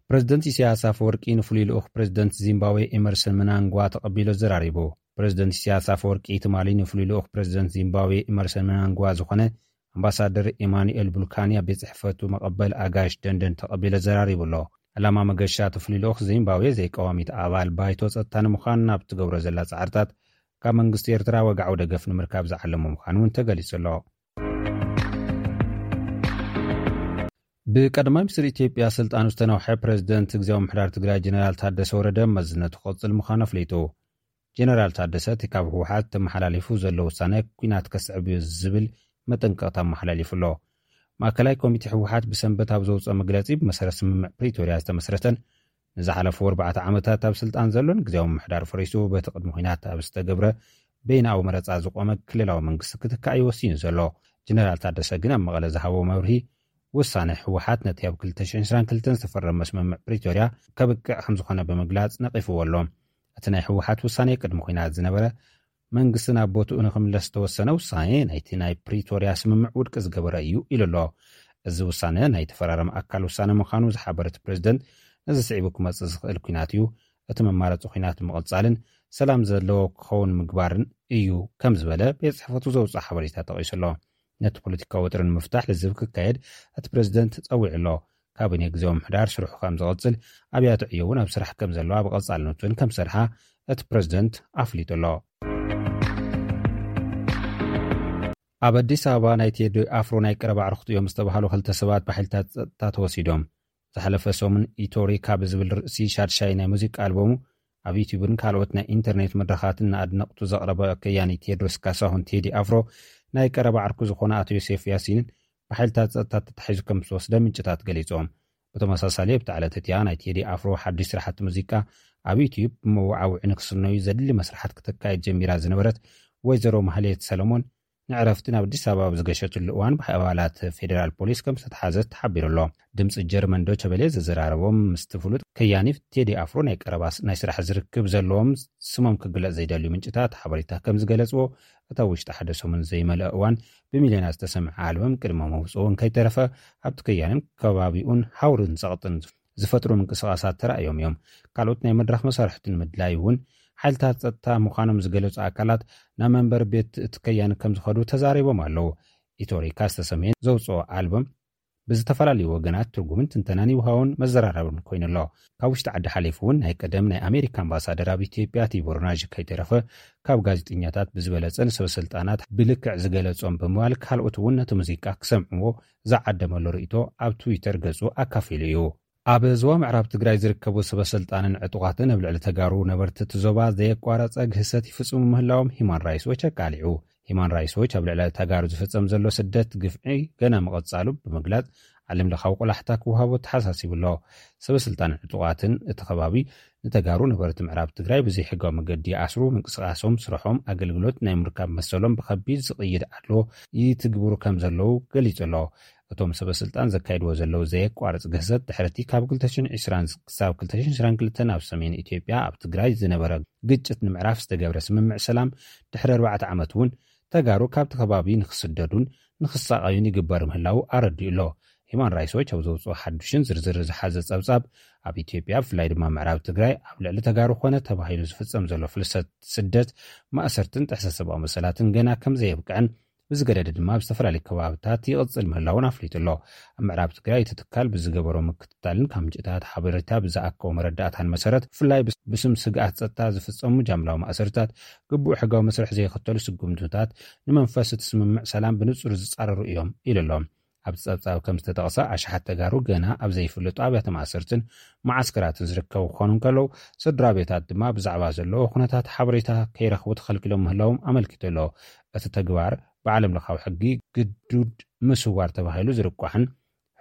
ፕረዚደንት ኢሳያስ ኣፈወርቂ ንፍሉይ ልኡኽ ፕረዚደንት ዚምባብዌ ኤመርሰን ምናንጓ ተቐቢሉ ኣዘራሪቡ። ፕረዚደንት ኢሳያስ ኣፈወርቂ ትማሊ ንፍሉይ ልኡኽ ፕረዚደንት ዚምባብዌ ኤመርሰን ምናንጓ ዝኾነ ኣምባሳደር ኤማኑኤል ቡልካኒ ኣብ ቤት ጽሕፈቱ መቐበል ኣጋይሽ ደንደን ተቐቢሉ ኣዘራሪቡ ኣሎ። ዕላማ መገሻ እቲ ፍሉይ ልኡኽ ዚምባብዌ ዘይቀዋሚት ኣባል ባይቶ ጸጥታ ንምዃን ናብ ትገብሮ ዘላ ጻዕርታት ካብ መንግስቲ ኤርትራ ወግዓዊ ደገፍ ንምርካብ ዝዓለመ ምዃኑ እውን ተገሊጹ ኣሎ። ብቀዳማይ ሚኒስትር ኢትዮጵያ ስልጣኑ ዝተነውሐ ፕሬዚደንት ግዜያዊ ምምሕዳር ትግራይ ጀነራል ታደሰ ወረደ መዝነቱ ክቕጽል ምዃኑ ኣፍሊጡ። ጀነራል ታደሰ እቲ ካብ ህወሓት ተመሓላሊፉ ዘሎ ውሳነ ኲናት ከስዕብ እዩ ዝብል መጠንቀቕታ ኣመሓላሊፉ ኣሎ። ማእከላይ ኮሚቴ ህወሓት ብሰንበት ኣብ ዘውፅኦ መግለፂ፣ ብመሰረት ስምምዕ ፕሪቶርያ ዝተመስረተን ንዝሓለፉ ኣርባዕተ ዓመታት ኣብ ስልጣን ዘሎን ግዜያዊ ምምሕዳር ፈሪሱ በቲ ቅድሚ ኲናት ኣብ ዝተገብረ በይናዊ መረፃ ዝቆመ ክልላዊ መንግስቲ ክትካእ እዩ ወሲኑ ዘሎ። ጀነራል ታደሰ ግን ኣብ መቐለ ዝሃቦ መብርሂ፣ ውሳነ ህወሓት ነቲ ኣብ ክልተ ሽሕን ዕስራን ክልተን ዝተፈረመ ስምምዕ ፕሪቶርያ ከብቅዕ ከም ዝኾነ ብምግላጽ ነቒፍዎ ኣሎ። እቲ ናይ ህወሓት ውሳኔ ቅድሚ ኲናት ዝነበረ መንግስቲ ናብ ቦትኡ ንኽምለስ ዝተወሰነ ውሳኔ ናይቲ ናይ ፕሪቶርያ ስምምዕ ውድቂ ዝገበረ እዩ ኢሉ ኣሎ። እዚ ውሳነ ናይ ተፈራረመ ኣካል ውሳነ ምዃኑ ዝሓበረ እቲ ፕሬዝደንት፣ ነዚ ስዒቡ ክመጽእ ዝኽእል ኲናት እዩ። እቲ መማረጺ ኲናት ምቕጻልን ሰላም ዘለዎ ክኸውን ምግባርን እዩ ከም ዝበለ ቤት ጽሕፈቱ ዘውፅኦ ሓበሬታ ጠቒሱ ኣሎ። ነቲ ፖለቲካዊ ወጥሪ ንምፍታሕ ልዝብ ክካየድ እቲ ፕሬዝደንት ጸዊዑ ኣሎ። ካቢኔ ግዜያዊ ምምሕዳር ስርሑ ከም ዝቕጽል፣ ኣብያተ ዕዮ እውን ኣብ ስራሕ ከም ዘለዋ ብቐጻልነት እውን ከም ዝሰርሓ እቲ ፕሬዝደንት ኣፍሊጡ ኣሎ። ኣብ ኣዲስ ኣበባ ናይ ቴዲ ኣፍሮ ናይ ቀረባ ኣዕሩኽቲ እዮም ዝተባህሉ ክልተ ሰባት ብሓይልታት ጸጥታ ተወሲዶም። ዝሓለፈ ሰሙን ኢቶሪካ ብዝብል ርእሲ ሻድሻይ ናይ ሙዚቃ ኣልበሙ ኣብ ዩቲዩብን ካልኦት ናይ ኢንተርኔት መድረኻትን ንኣድነቕቱ ዘቕረበ ከያኒ ቴድሮስ ካሳሁን ቴዲ ኣፍሮ ናይ ቀረባ ዓርኩ ዝኾነ ኣቶ ዮሴፍ ያሲንን ብሓይልታት ጸጥታ ተታሒዙ ከም ዝተወስደ ምንጭታት ገሊጾም። ብተመሳሳሊ ኣብታ ዕለት እቲኣ ናይ ቴዲ ኣፍሮ ሓድሽ ስራሕቲ ሙዚቃ ኣብ ዩቲዩብ ብመወዓውዒ ንክስነዩ ዘድሊ መስርሓት ክተካየድ ጀሚራ ዝነበረት ወይዘሮ ማህሌት ሰለሞን ንዕረፍቲ ናብ ኣዲስ ኣበባ ኣብ ዝገሸትሉ እዋን ብኣባላት ፌዴራል ፖሊስ ከም ዝተተሓዘት ተሓቢሩ ኣሎ። ድምፂ ጀርመን ዶቸ በሌ ዘዘራረቦም ምስቲ ፍሉጥ ከያኒ ቴዲ ኣፍሮ ናይ ቀረባ ናይ ስራሕ ዝርክብ ዘለዎም ስሞም ክግለጽ ዘይደልዩ ምንጭታት ሓበሬታ ከም ዝገለጽዎ፣ እታ ውሽጢ ሓደ ሰሙን ዘይመልአ እዋን ብሚልዮናት ዝተሰምዐ ኣልበም ቅድሚ መውፅኡ እንከይተረፈ ኣብቲ ከያንን ከባቢኡን ሃውርን ጸቕጥን ዝፈጥሩ ምንቅስቓሳት ተራእዮም እዮም። ካልኦት ናይ መድረኽ መሳርሕቲ ንምድላይ እውን ሓይልታት ጸጥታ ምዃኖም ዝገለጹ ኣካላት ናብ መንበሪ ቤት እቲ ከያኒ ከም ዝኸዱ ተዛሪቦም ኣለዉ። ኢቶሪካ ዝተሰምየ ዘውፅኦ ኣልበም ብዝተፈላለዩ ወገናት ትርጉምን ትንተናን ይውሃውን መዘራረብን ኮይኑ ኣሎ። ካብ ውሽጢ ዓዲ ሓሊፉ እውን ናይ ቀደም ናይ ኣሜሪካ ኣምባሳደር ኣብ ኢትዮጵያ ቲቦር ናዥ ከይተረፈ ካብ ጋዜጠኛታት ብዝበለጸ ንሰበ ስልጣናት ብልክዕ ዝገለጾም ብምባል ካልኦት እውን ነቲ ሙዚቃ ክሰምዕዎ ዝዓደመሉ ርእይቶ ኣብ ትዊተር ገጹ ኣካፊሉ እዩ። ኣብ ዞባ ምዕራብ ትግራይ ዝርከቡ ሰበ ስልጣንን ዕጡቓትን ኣብ ልዕሊ ተጋሩ ነበርቲ እቲ ዞባ ዘየቋረጸ ግህሰት ይፍጽሙ ምህላዎም ሂማን ራይትስ ዎች ኣቃሊዑ። ሂማን ራይትስ ዎች ኣብ ልዕሊ ተጋሩ ዝፍጸም ዘሎ ስደት ግፍዒ ገና ምቕጻሉ ብምግላጽ ዓለም ለኻዊ ቆላሕታ ክወሃቦ ተሓሳሲቡ ኣሎ። ሰበ ስልጣንን ዕጡቓትን እቲ ከባቢ ንተጋሩ ነበርቲ ምዕራብ ትግራይ ብዘይሕጋዊ መገዲ ይኣስሩ፣ ምንቅስቓሶም፣ ስርሖም፣ ኣገልግሎት ናይ ምርካብ መሰሎም ብኸቢድ ዝቕይድ ኣድልዎ ይትግብሩ ከም ዘለዉ ገሊጹ ኣሎ። እቶም ሰበ ስልጣን ዘካይድዎ ዘለዉ ዘየቋርጽ ግህሰት ድሕሪ እቲ ካብ ክልተ ሽሕን ዕስራን ክሳብ ክልተ ሽሕን ዕስራን ክልተን ኣብ ሰሜን ኢትዮጵያ ኣብ ትግራይ ዝነበረ ግጭት ንምዕራፍ ዝተገብረ ስምምዕ ሰላም ድሕሪ ኣርባዕተ ዓመት እውን ተጋሩ ካብቲ ከባቢ ንክስደዱን ንክሳቐዩን ይግበር ምህላዉ ኣረዲኡ ኣሎ። ሂማን ራይትስ ዎች ኣብ ዘውፅኦ ሓዱሽን ዝርዝር ዝሓዘ ጸብጻብ ኣብ ኢትዮጵያ ብፍላይ ድማ ምዕራብ ትግራይ ኣብ ልዕሊ ተጋሩ ኮነ ተባሂሉ ዝፍጸም ዘሎ ፍልሰት፣ ስደት፣ ማእሰርትን ጥሕሰት ሰብኣዊ መሰላትን ገና ከም ዘየብቅዐን ብዝገደደ ድማ ኣብ ዝተፈላለዩ ከባብታት ይቕጽል ምህላውን ኣፍሊጡ ኣሎ። ኣብ ምዕራብ ትግራይ እቲ ትካል ብዝገበሮ ምክትታልን ካብ ምንጭታት ሓበሬታ ብዝኣከቦ መረዳእታን መሰረት ብፍላይ ብስ- ብስም ስግኣት ጸጥታ ዝፍጸሙ ጃምላዊ ማእሰርታት ግቡእ ሕጋዊ መስርሕ ዘይኸተሉ ስጉምትታት ንመንፈስ እቲ ስምምዕ ሰላም ብንጹር ዝጻረሩ እዮም ኢሉ ኣሎ። ኣብቲ ጸብጻብ ከም ዝተጠቕሰ ኣሽሓት ተጋሩ ገና ኣብ ዘይፍለጡ ኣብያተ ማእሰርትን መዓስከራትን ዝርከቡ ክኾኑ እንከለዉ ስድራ ቤታት ድማ ብዛዕባ ዘለዎ ኩነታት ሓበሬታ ከይረኽቡ ተኸልኪሎም ምህላዎም ኣመልኪቱ ኣሎ። እቲ ተግባር ብዓለም ለኻዊ ሕጊ ግዱድ ምስዋር ተባሂሉ ዝርቋሕን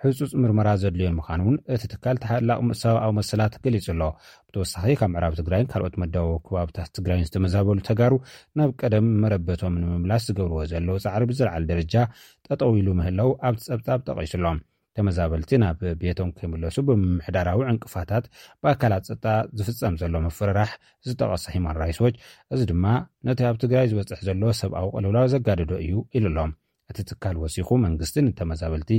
ህጹጽ ምርመራ ዘድልዮን ምዃኑ እውን እቲ ትካል ተሓላቕ ሰብኣዊ መሰላት ገሊጹ ኣሎ። ብተወሳኺ ካብ ምዕራብ ትግራይን ካልኦት መዳወቢ ከባብታት ትግራይን ዝተመዛበሉ ተጋሩ ናብ ቀደም መረበቶም ንምምላስ ዝገብርዎ ዘለዉ ጻዕሪ ብዝለዓለ ደረጃ ጠጠው ኢሉ ምህላው ኣብቲ ጸብጻብ ጠቒሱ ኣሎ። ተመዛበልቲ ናብ ቤቶም ከይምለሱ ብምምሕዳራዊ ዕንቅፋታት ብኣካላት ጸጥታ ዝፍጸም ዘሎ ምፍርራሕ ዝጠቐሰ ሂማን ራይትስ ዎች፣ እዚ ድማ ነቲ ኣብ ትግራይ ዝበጽሕ ዘሎ ሰብኣዊ ቅልውላው ዘጋደዶ እዩ ኢሉ ኣሎ። እቲ ትካል ወሲኹ መንግስቲ ንተመዛበልቲ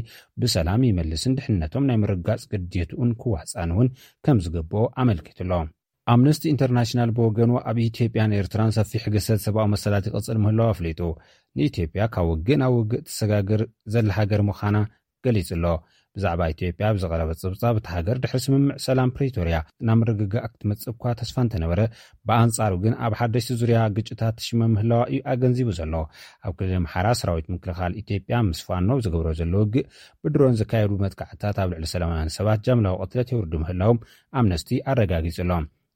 ብሰላም ይመልስን ድሕንነቶም ናይ ምርጋጽ ግዴትኡን ክዋጻን እውን ከም ዝግብኦ ኣመልኪቱ ኣሎ። ኣምነስቲ ኢንተርናሽናል ብወገኑ ኣብ ኢትዮጵያን ኤርትራን ሰፊሕ ግሰት ሰብኣዊ መሰላት ይቕጽል ምህላው ኣፍሊጡ። ንኢትዮጵያ ካብ ውግእ ናብ ውግእ ትሰጋግር ዘላ ሃገር ምዃና ገሊጹ ኣሎ። ብዛዕባ ኢትዮጵያ ብዝቐረበ ጸብጻብ፣ እታ ሃገር ድሕሪ ስምምዕ ሰላም ፕሪቶርያ ናብ ምርግጋእ ክትመጽእ እኳ ተስፋ እንተነበረ፣ ብኣንጻሩ ግን ኣብ ሓደሽቲ ዙርያ ግጭታት ትሽመም ምህላዋ እዩ ኣገንዚቡ ዘሎ። ኣብ ክልል ኣምሓራ ሰራዊት ምክልኻል ኢትዮጵያ ምስ ፋኖ ዝገብሮ ዘሎ ውግእ፣ ብድሮን ዝካየዱ መጥቃዕትታት ኣብ ልዕሊ ሰላማውያን ሰባት ጃምላዊ ቅትለት የውርዱ ምህላዎም ኣምነስቲ ኣረጋጊጹ ኣሎ።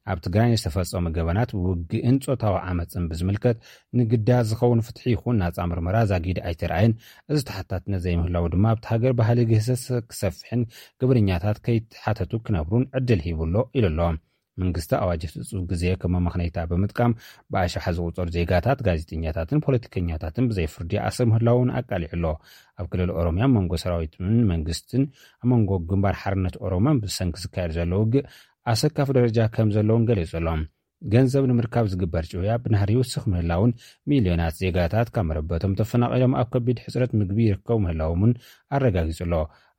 ኣብ ትግራይ ንዝተፈጸሙ ገበናት ውግእን ጾታዊ ዓመጽን ብዝምልከት ንግዳያት ዝኸውን ፍትሒ ይኹን ናጻ ምርመራ ዛጊድ ኣይተራእየን። እዚ ተሓታትነት ዘይምህላው ድማ ኣብቲ ሃገር ባህሊ ግህሰት ክሰፍሕን ግብርኛታት ከይተሓተቱ ክነብሩን ዕድል ሂቡ ኣሎ ኢሉ ኣሎ። መንግስቲ ኣዋጅ እቲ ዕጹብ ግዜ ከም መመኽነይታ ብምጥቃም ብኣሽሓ ዝቑጸሩ ዜጋታት፣ ጋዜጠኛታትን ፖለቲከኛታትን ብዘይ ፍርዲ ኣሰር ምህላውን ኣቃሊዑ ኣሎ። ኣብ ክልል ኦሮምያ መንጎ ሰራዊትን መንግስትን ኣብ መንጎ ግንባር ሓርነት ኦሮሞን ብሰንኪ ዝካየድ ዘሎ ውግእ ኣሰካፊ ደረጃ ከም ዘለውን ገሊጹ ኣሎ። ገንዘብ ንምርካብ ዝግበር ጭውያ ብናህሪ ይውስኽ ምህላውን ሚልዮናት ዜጋታት ካብ መረበቶም ተፈናቒሎም ኣብ ከቢድ ሕጽረት ምግቢ ይርከቡ ምህላዎም እውን ኣረጋጊጹ ኣሎ።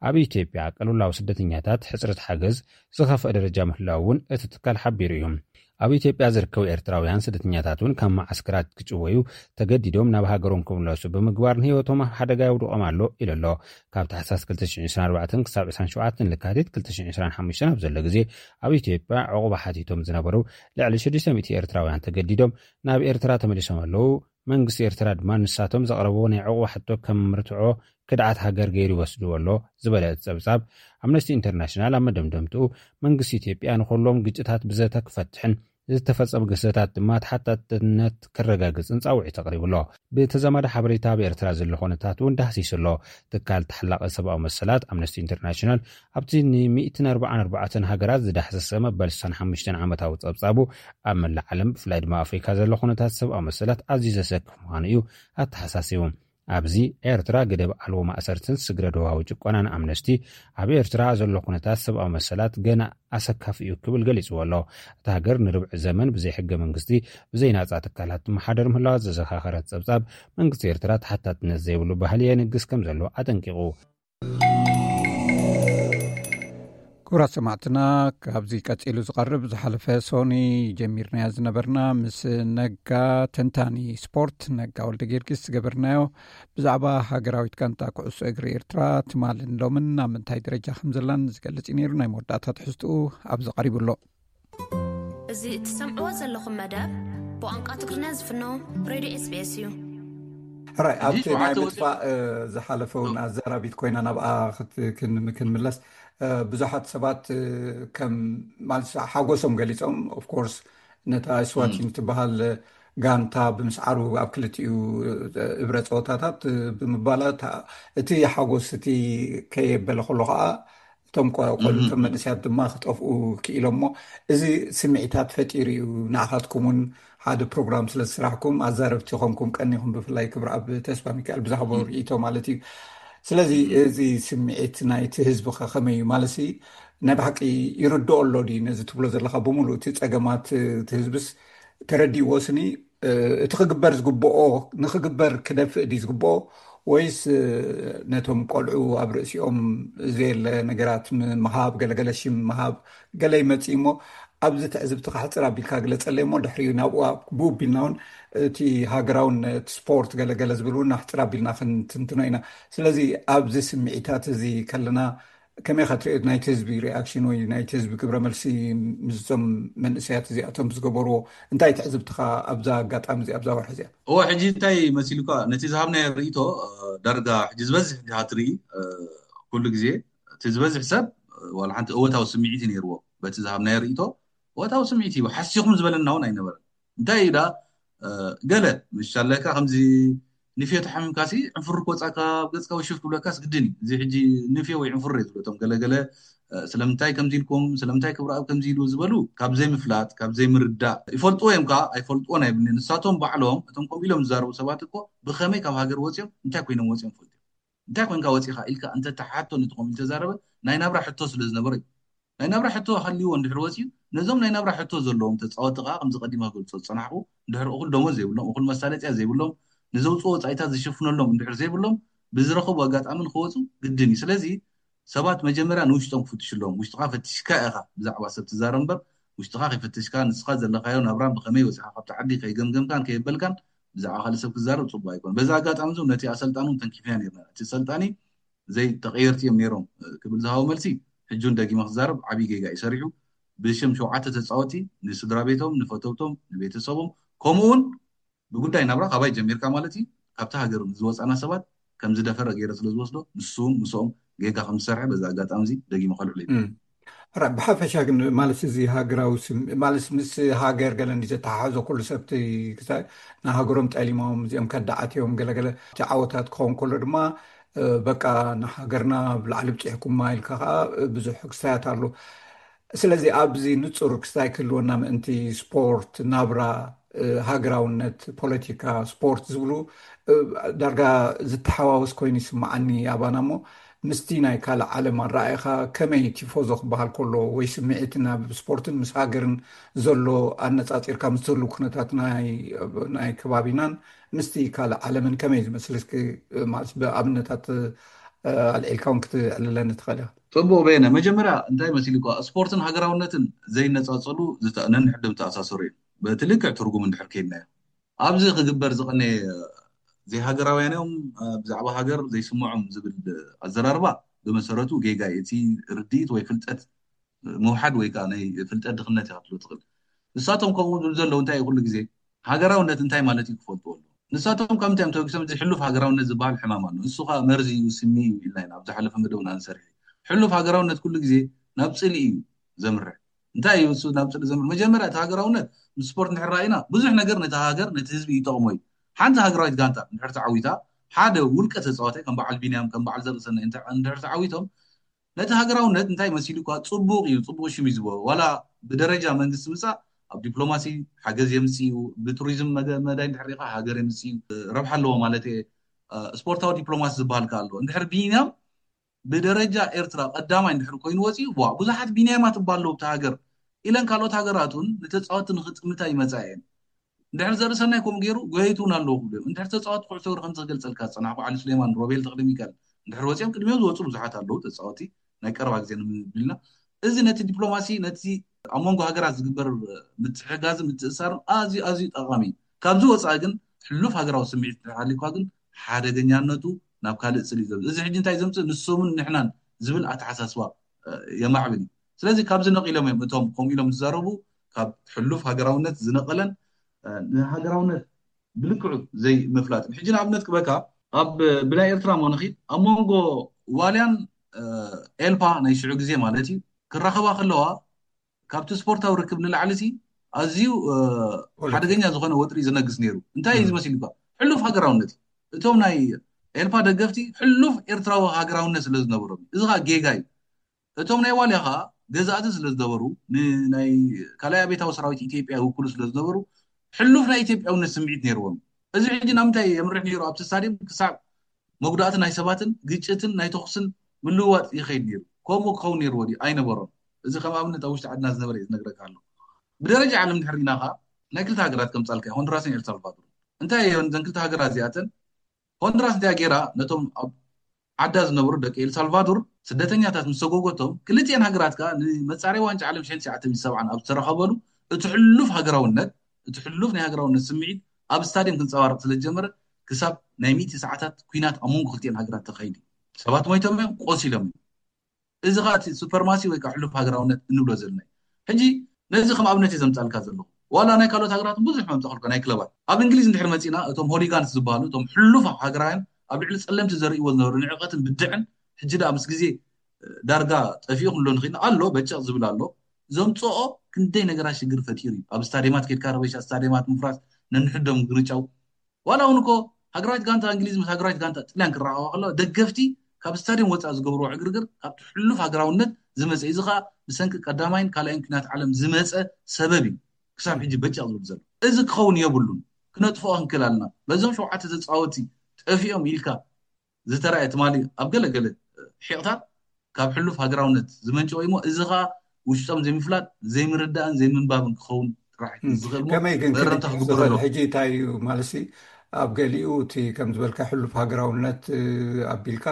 ኣብ ኢትዮጵያ ቅልውላው ስደተኛታት ሕጽረት ሓገዝ ዝኸፍአ ደረጃ ምህላው እውን እቲ ትካል ሓቢሩ እዩ። ኣብ ኢትዮጵያ ዝርከቡ ኤርትራውያን ስደተኛታት እውን ካብ መዓስከራት ክጭወዩ ተገዲዶም ናብ ሃገሮም ክምለሱ ብምግባር ንህይወቶም ኣብ ሓደጋ የውድቖም ኣሎ ኢሉ ኣሎ። ካብ ታሕሳስ ክልተ ሽሕን ዕስራን ኣርባዕተን ክሳብ ዕስራን ሸውዓተን ለካቲት ክልተ ሽሕን ዕስራን ሓሙሽተን ኣብ ዘሎ ግዜ ኣብ ኢትዮጵያ ዕቑባ ሓቲቶም ዝነበሩ ልዕሊ ሽዱሽተ ሚእቲ ኤርትራውያን ተገዲዶም ናብ ኤርትራ ተመሊሶም ኣለዉ። መንግስቲ ኤርትራ ድማ ንሳቶም ዘቕረብዎ ናይ ዕቑባ ሕቶ ከም ምርትዖ ክድዓት ሃገር ገይሩ ይወስድዎ ኣሎ ዝበለ እቲ ጸብጻብ፣ ኣምነስቲ ኢንተርናሽናል ኣብ መደምደምትኡ መንግስቲ ኢትዮጵያ ንኹሎም ግጭታት ብዘተ ክፈትሕን ዝተፈጸሙ ግህሰታት ድማ ተሓታትነት ክረጋግጽን ጻውዒት ኣቕሪቡ ኣሎ። ብተዛማዲ ሓበሬታ ኣብ ኤርትራ ዘሎ ኩነታት እውን ዳህሲሱ ኣሎ። ትካል ተሓላቒ ሰብኣዊ መሰላት ኣምነስቲ ኢንተርናሽናል ኣብቲ ን ሚእትን ኣርባዓን ኣርባዕተን ሃገራት ዝዳህሰሰ መበል ስሳን ሓሙሽተን ዓመታዊ ጸብጻቡ ኣብ መላእ ዓለም ብፍላይ ድማ ኣፍሪካ ዘሎ ኩነታት ሰብኣዊ መሰላት ኣዝዩ ዘሰክፍ ምዃኑ እዩ ኣተሓሳሲቡ። ኣብዚ ኤርትራ ገደብ ኣልቦ ማእሰርትን ስግረ ዶባዊ ጭቆናን ኣምነስቲ ኣብ ኤርትራ ዘሎ ኩነታት ሰብኣዊ መሰላት ገና ኣሰካፊ እዩ ክብል ገሊጽዎ ኣሎ። እታ ሃገር ንርብዒ ዘመን ብዘይ ሕገ መንግስቲ ብዘይ ናጻ ትካላት ትመሓደር ምህላዋ ዘዘኻኸረት ጸብጻብ መንግስቲ ኤርትራ ተሓታትነት ዘይብሉ ባህሊ የንግስ ከም ዘሎ ኣጠንቂቑ። ክቡራት ሰማዕትና፣ ካብዚ ቀጺሉ ዝቐርብ ዝሓለፈ ሶኒ ጀሚርናዮ ዝነበርና ምስ ነጋ ተንታኒ ስፖርት ነጋ ወልደ ጊዮርጊስ ዝገበርናዮ ብዛዕባ ሃገራዊት ጋንታ ኩዕሶ እግሪ ኤርትራ ትማልን ሎምን ናብ ምንታይ ደረጃ ከም ዘላን ዝገልጽ እዩ ነይሩ። ናይ መወዳእታ ትሕዝትኡ ኣብዚ ቀሪቡ ኣሎ። እዚ እትሰምዕዎ ዘለኹም መደብ ብቋንቋ ትግርኛ ዝፍኖ ሬድዮ ኤስቢኤስ እዩ። ሕራይ ኣብቲ ናይ ምጥፋእ ዝሓለፈ እውን ኣዘራቢት ኮይና ናብኣ ክንምለስ ብዙሓት ሰባት ከም ማለት ሓጎሶም ገሊፆም። ኦፍኮርስ ነታ ስዋቲን ትበሃል ጋንታ ብምስዓሩ ኣብ ክልቲኡ እብረ ፀወታታት ብምባላት እቲ ሓጎስ እቲ ከየበለ ከሎ ከዓ እቶም ቆልዑ እቶም መንእስያት ድማ ክጠፍኡ ክኢሎም እሞ እዚ ስምዒታት ፈጢሩ እዩ። ንዓኻትኩም እውን ሓደ ፕሮግራም ስለ ዝስራሕኩም ኣዛረብቲ ኾንኩም ቀኒኹም ብፍላይ ክብሪ ኣብ ተስፋ ሚካኤል ብዛዕባኡ ርእይቶ ማለት እዩ። ስለዚ እዚ ስምዒት ናይቲ ህዝቢ ከ ከመይ እዩ ማለት ናይ ብሓቂ ይርድኦ ኣሎ ድዩ ነዚ ትብሎ ዘለካ ብምሉእ እቲ ፀገማት እቲ ህዝብስ ተረዲእዎ ስኒ እቲ ክግበር ዝግብኦ ንክግበር ክደፍእ ድዩ ዝግብኦ ወይስ ነቶም ቆልዑ ኣብ ርእሲኦም ዘየለ ነገራት ምሃብ ገለገለ ሽም ምሃብ ገለ ይመፅእ እሞ ኣብዚ ትዕዝብቲ ካሕፅር ኣቢልካ ግለፀለይ እሞ ድሕሪኡ ናብኡ ብኡ ቢልና እውን እቲ ሃገራውን እቲ ስፖርት ገለገለ ዝብል እውን ኣሕፅር ኣቢልና ክንትንትኖ ኢና። ስለዚ ኣብዚ ስምዒታት እዚ ከለና ከመይ ኢኻ ትሪኦ ናይቲ ህዝቢ ሪኣክሽን ወይ ናይቲ ህዝቢ ግብረ መልሲ ምስዞም መንእሰያት እዚኣቶም ዝገበርዎ እንታይ ትዕዝብትኻ ኣብዛ ኣጋጣሚ እዚ ኣብዛ ወርሒ እዚኣ? እወ ሕጂ እንታይ መሲሉካ ነቲ ዝሃብናዮ ርእይቶ ዳርጋ ሕጂ ዝበዝሕ ዲኻ ትርኢ ኩሉ ግዜ እቲ ዝበዝሕ ሰብ ዋላ ሓንቲ እወታዊ ስምዒት እዩ ነይርዎ በቲ ዝሃብናዮ ርእይቶ እወታዊ ስምዒት እዩ ሓሲኹም ዝበለና እውን ኣይነበረን እንታይ እዩ ዳ ገለ ምሻለካ ከምዚ ንፍዮ ተሓሚምካሲ ዕንፍሩ ክወፃካ ኣብ ገፅካ ወይ ሽፍ ክብለካስ ግድን እዩ እዚ ሕጂ ንፍዮ ወይ ዕንፍሩ ዝብለቶም ገለገለ ስለምንታይ ከምዚ ኢልኩም ስለምንታይ ክብረኣብ ከምዚ ኢሉ ዝበሉ ካብ ዘይምፍላጥ ካብ ዘይምርዳእ ይፈልጥዎ እዮም ከዓ ኣይፈልጥዎን ኣይብልን ንሳቶም ባዕሎም እቶም ከምኡ ኢሎም ዝዛረቡ ሰባት እኮ ብከመይ ካብ ሃገር ወፂኦም እንታይ ኮይኖም ወፂኦም ፈልጡ እንታይ ኮንካ ወፂኻ ኢልካ እንተተሓቶ ነቲ ከምኡ ኢሉ ተዛረበ ናይ ናብራ ሕቶ ስለ ዝነበረ እዩ ናይ ናብራ ሕቶ ሃልይዎ እንድሕር ወፂኡ ነዞም ናይ ናብራ ሕቶ ዘለዎም ተፃወቲ ከዓ ከምዚ ቀዲመ ክገልፆ ዝፀናሕኩ እንድሕር እኹል ደሞዝ ዘይብሎም እኹል መሳለጥያ ዘይብሎም ንዘውፅኦ ወፃኢታት ዝሽፍነሎም እንድሕር ዘይብሎም ብዝረኸቡ ኣጋጣሚ ንክወፁ ግድን እዩ ስለዚ ሰባት መጀመርያ ንውሽጦም ክፍትሹ ኣለዎም ውሽጥካ ፈቲሽካ ኢኻ ብዛዕባ ሰብ ትዛረብ እምበር ውሽጥኻ ከይፈተሽካ ንስኻ ዘለኻዮ ናብራን ብኸመይ ወፂኻ ካብቲ ዓዲ ከይገምገምካን ከየበልካን ብዛዕባ ካልእ ሰብ ክዛረብ ፅቡቅ ኣይኮን በዚ ኣጋጣሚ ዞም ነቲ ኣሰልጣኒ እውን ተንኪፍና ነርና እቲ ኣሰልጣኒ ዘይተቐየርቲ እዮም ነይሮም ክብል ዝሃቦ መልሲ፣ ሕጂ እውን ደጊመ ክዛረብ፣ ዓብዪ ጌጋ እዩ ሰሪሑ። ብሽም ሸውዓተ ተፃወቲ ንስድራ ቤቶም፣ ንፈተውቶም፣ ንቤተሰቦም፣ ከምኡ እውን ብጉዳይ ናብራ ካባይ ጀሚርካ ማለት እዩ፣ ካብቲ ሃገር ዝወፃና ሰባት ከም ዝደፈረ ገይረ ስለ ዝወስዶ፣ ንሱ እውን ምስኦም ጌጋ ከም ዝሰርሐ በዚ ኣጋጣሚ እዚ ደጊመ ከልዕሎ እዩ። ብሓፈሻ ግን ማለት እዚ ሃገራዊ ማለት ምስ ሃገር ገለ እንዲ ዘተሓሕዞ ኩሉ ሰብቲ ንሃገሮም ጠሊሞም እዚኦም ከዳዓት እዮም ገለገለ እቲ ዓወታት ክኸውን ከሎ ድማ በቃ ንሃገርና ብላዕሊ ብፅሕኩማ ኢልካ ከዓ ብዙሕ ክስታያት ኣሎ። ስለዚ ኣብዚ ንፁር ክስታይ ክህልወና ምእንቲ ስፖርት ናብራ ሃገራውነት ፖለቲካ ስፖርት ዝብሉ ዳርጋ ዝተሓዋወስ ኮይኑ ይስምዓኒ ኣባና እሞ ምስቲ ናይ ካልእ ዓለም ኣረኣእኻ ከመይ ቲፎዞ ክበሃል ከሎ ወይ ስምዒት ናብ ስፖርትን ምስ ሃገርን ዘሎ ኣነፃፂርካ ምስ ዘለዉ ኩነታት ናይ ከባቢናን ምስቲ ካልእ ዓለምን ከመይ ዝመስል እስኪ ማለት ብኣብነታት ኣልዒልካ እውን ክትዕልለኒ ትኽእል ኢኻ። ፅቡቅ በየነ፣ መጀመርያ እንታይ መሲሉ እኳ ስፖርትን ሃገራውነትን ዘይነፃፀሉ ነንሕድም ተኣሳሰሩ እዮም። በቲ ልክዕ ትርጉም እንድሕር ከይድናዮ ኣብዚ ክግበር ዝቐነየ ዘይሃገራውያን እዮም ብዛዕባ ሃገር ዘይስምዖም ዝብል ኣዘራርባ ብመሰረቱ ጌጋ እዩ። እቲ ርድኢት ወይ ፍልጠት ምውሓድ ወይ ከዓ ናይ ፍልጠት ድኽነት ኢኻ ክትብሎ ትኽእል። ንሳቶም ከምኡ ዝብሉ ዘለዉ እንታይ እዩ ኩሉ ግዜ ሃገራውነት እንታይ ማለት እዩ ክፈልጥዎ ኣለዎም። ንሳቶም ካብ ምንታይ እዮም ተበጊሶም? እዚ ሕሉፍ ሃገራውነት ዝበሃል ሕማም ኣሎ። ንሱ ከዓ መርዚ እዩ፣ ስሚ እዩ ኢልና ኢና ኣብ ዝሓለፈ መደብና ንሰርሕ። ሕሉፍ ሃገራውነት ኩሉ ግዜ ናብ ፅልኢ እዩ ዘምርሕ። እንታይ እዩ እሱ ናብ ፅልኢ ዘምርሕ? መጀመርያ እቲ ሃገራውነት ምስ ስፖርት እንድሕር ረኣይና ብዙሕ ነገር ነቲ ሃገር ነቲ ህዝቢ ይጠቕሞ እዩ። ሓንቲ ሃገራዊት ጋንታ እንድሕር ተዓዊታ ሓደ ውልቀ ተፃዋታይ ከም በዓል ቢንያም ከም በዓል ዘርእሰናይ እንድሕር ተዓዊቶም ነቲ ሃገራውነት እንታይ መሲሉ እኳ ፅቡቕ እዩ፣ ፅቡቕ ሽም እዩ ዝበሮ ዋላ ብደረጃ መንግስቲ ምፃእ ኣብ ዲፕሎማሲ ሓገዝ የምፅእ እዩ። ብቱሪዝም መዳይ እንድሕር ሪኢኻ ሃገር የምፅእ እዩ፣ ረብሓ ኣለዎ ማለት እየ። ስፖርታዊ ዲፕሎማሲ ዝበሃል ከ ኣሎ እንድሕር ቢንያም ብደረጃ ኤርትራ ቀዳማይ እንድሕር ኮይኑ ወፂኡ ዋ ብዙሓት ቢንያማት እባ ኣለዉ ኣብቲ ሃገር ኢለን ካልኦት ሃገራት እውን ንተፃወቲ ንክጥምታ ይመፃ እየን። እንድሕር ዘርእሰናይ ከምኡ ገይሩ ጎየይቲ እውን ኣለዉ ክብሉ እዮም። እንድሕር ተፃወቲ ኩዕሶ እግሪ ከምዚ ክገልፀልካ ዝፀናሕኩ ዓሊ ሱሌማን፣ ሮቤል ተኽለሚካኤል እንድሕር ወፂኦም ቅድሚኦም ዝወፁ ብዙሓት ኣለዉ ተፃወቲ ናይ ቀረባ ግዜ ንምብል ኢና። እዚ ነቲ ዲፕሎማሲ ነቲ ኣብ መንጎ ሃገራት ዝግበር ምትሕጋዝን ምትእስሳርን ኣዝዩ ኣዝዩ ጠቓሚ እዩ። ካብዚ ወፃኢ ግን ሕሉፍ ሃገራዊ ስምዒት እንድሕር ሃልዩካ ግን ሓደገኛነቱ ናብ ካልእ ፅል እዩ ዘምፅእ። እዚ ሕጂ እንታይ ዘምፅእ ንሶምን ንሕናን ዝብል ኣተሓሳስባ የማዕብል እዩ። ስለዚ ካብዚ ነቒሎም እዮም እቶም ከምኡ ኢሎም ዝዛረቡ ካብ ሕሉፍ ሃገራውነት ዝነቐለን ንሃገራውነት ብልክዑ ዘይምፍላጥን። ሕጂ ንኣብነት ክበካ ኣብ ብናይ ኤርትራ ሞ ንኺድ ኣብ መንጎ ዋልያን ኤልፓ ናይ ሽዑ ግዜ ማለት እዩ ክራኸባ ከለዋ ካብቲ ስፖርታዊ ርክብ ንላዕሊ ሲ ኣዝዩ ሓደገኛ ዝኾነ ወጥሪ ዝነግስ ነይሩ። እንታይ እዩ ዝመሲል እኳ ሕሉፍ ሃገራውነት እዩ። እቶም ናይ ኤልፓ ደገፍቲ ሕሉፍ ኤርትራዊ ሃገራውነት ስለ ዝነበሮም እዩ። እዚ ከዓ ጌጋ እዩ። እቶም ናይ ዋልያ ከዓ ገዛእቲ ስለ ዝነበሩ ንናይ ካልኣይ ኣቤታዊ ሰራዊት ኢትዮጵያ ይውክሉ ስለ ዝነበሩ ሕሉፍ ናይ ኢትዮጵያውነት ስምዒት ነይርዎም። እዚ ሕጂ ናብ ምንታይ የምርሕ ነይሩ? ኣብቲ ስታድየም ክሳብ መጉዳእቲ ናይ ሰባትን ግጭትን ናይ ተኹስን ምልውዋጥ ይኸይድ ነይሩ። ከምኡ ክኸውን ነይርዎ ድዩ? ኣይነበሮን። እዚ ከም ኣብነት ኣብ ውሽጢ ዓድና ዝነበረ ዝነግረካ ኣሎ። ብደረጃ ዓለም ድሕር ኢና ከዓ ናይ ክልተ ሃገራት ከምፃልካ ሆንዱራስን ኤልሳልቫዶር እንታይ እየን ዘን ክልተ ሃገራት እዚኣተን ሆንዱራስ እንታይ ገይራ ነቶም ኣብ ዓዳ ዝነበሩ ደቂ ኤልሳልቫዶር ስደተኛታት ምስ ሰጎጎቶም ክልቲኤን ሃገራት ከዓ ንመፃረይ ዋንጫ ዓለም ሽሕን ትሽዓተ ሚእቲ ሰብዓን ኣብ ዝተረኸበሉ እቲ ሕሉፍ ሃገራውነት እቲ ሕሉፍ ናይ ሃገራውነት ስምዒት ኣብ ስታድየም ክንፀባረቕ ስለ ዝጀመረ ክሳብ ናይ ሚእቲ ሰዓታት ኲናት ኣብ መንጎ ክልቲኤን ሃገራት ተኻይዱ። ሰባት ሞይቶም እዮም፣ ቆሲሎም እዮም። እዚ ከዓ እቲ ሱፐርማሲ ወይ ከዓ ሕሉፍ ሃገራውነት እንብሎ ዘለና እዩ። ሕጂ ነዚ ከም ኣብነት እየ ዘምፃልካ ዘለኹ። ዋላ ናይ ካልኦት ሃገራት ብዙሕ መምፃእኩልካ ናይ ክለባት ኣብ እንግሊዝ እንድሕር መፂና እቶም ሆሊጋንስ ዝበሃሉ እቶም ሕሉፍ ሃገራውያን ኣብ ልዕሊ ፀለምቲ ዘርእይዎ ዝነበሩ ንዕቀትን ብድዕን ሕጂ ደኣ ምስ ግዜ ዳርጋ ጠፊኡ ክንብሎ ንኽእል ኣሎ በጨቕ ዝብል ኣሎ። ዘምፅኦ ክንደይ ነገራት ሽግር ፈጢሩ እዩ። ኣብ ስታድየማት ከድካ ረበሻ ስታድየማት ምፍራስ ነንሕዶም ግርጫው ዋላ እውን እኮ ሃገራዊት ጋንታ እንግሊዝ ምስ ሃገራዊት ጋንታ ጥልያን ክረኸባ ከለዋ ደገፍቲ ካብ ስታድየም ወፃኢ ዝገብርዎ ዕግርግር ካብቲ ሕሉፍ ሃገራውነት ዝመፀ እዚ ከዓ ብሰንኪ ቀዳማይን ካልኣይን ኩናት ዓለም ዝመፀ ሰበብ እዩ ክሳብ ሕጂ በጨቕ ዝብል ዘሎ። እዚ ክኸውን የብሉን። ክነጥፍኦ ክንክእል ኣለና። በዞም ሸውዓተ ተፃወቲ ጠፊኦም ኢልካ ዝተረኣየ ትማሊ ኣብ ገለገለ ሒቕታት ካብ ሕሉፍ ሃገራውነት ዝመንጨወ እሞ እዚ ከዓ ውሽጦም ዘይምፍላጥ ዘይምርዳእን ዘይምንባብን ክኸውን ጥራሕ ዝኽእል እሞ ከመይ ግን መእረምታ ክግበረሉ። ሕጂ እንታይ እዩ ማለሲ ኣብ ገሊኡ እቲ ከም ዝበልካ ሕሉፍ ሃገራውነት ኣቢልካ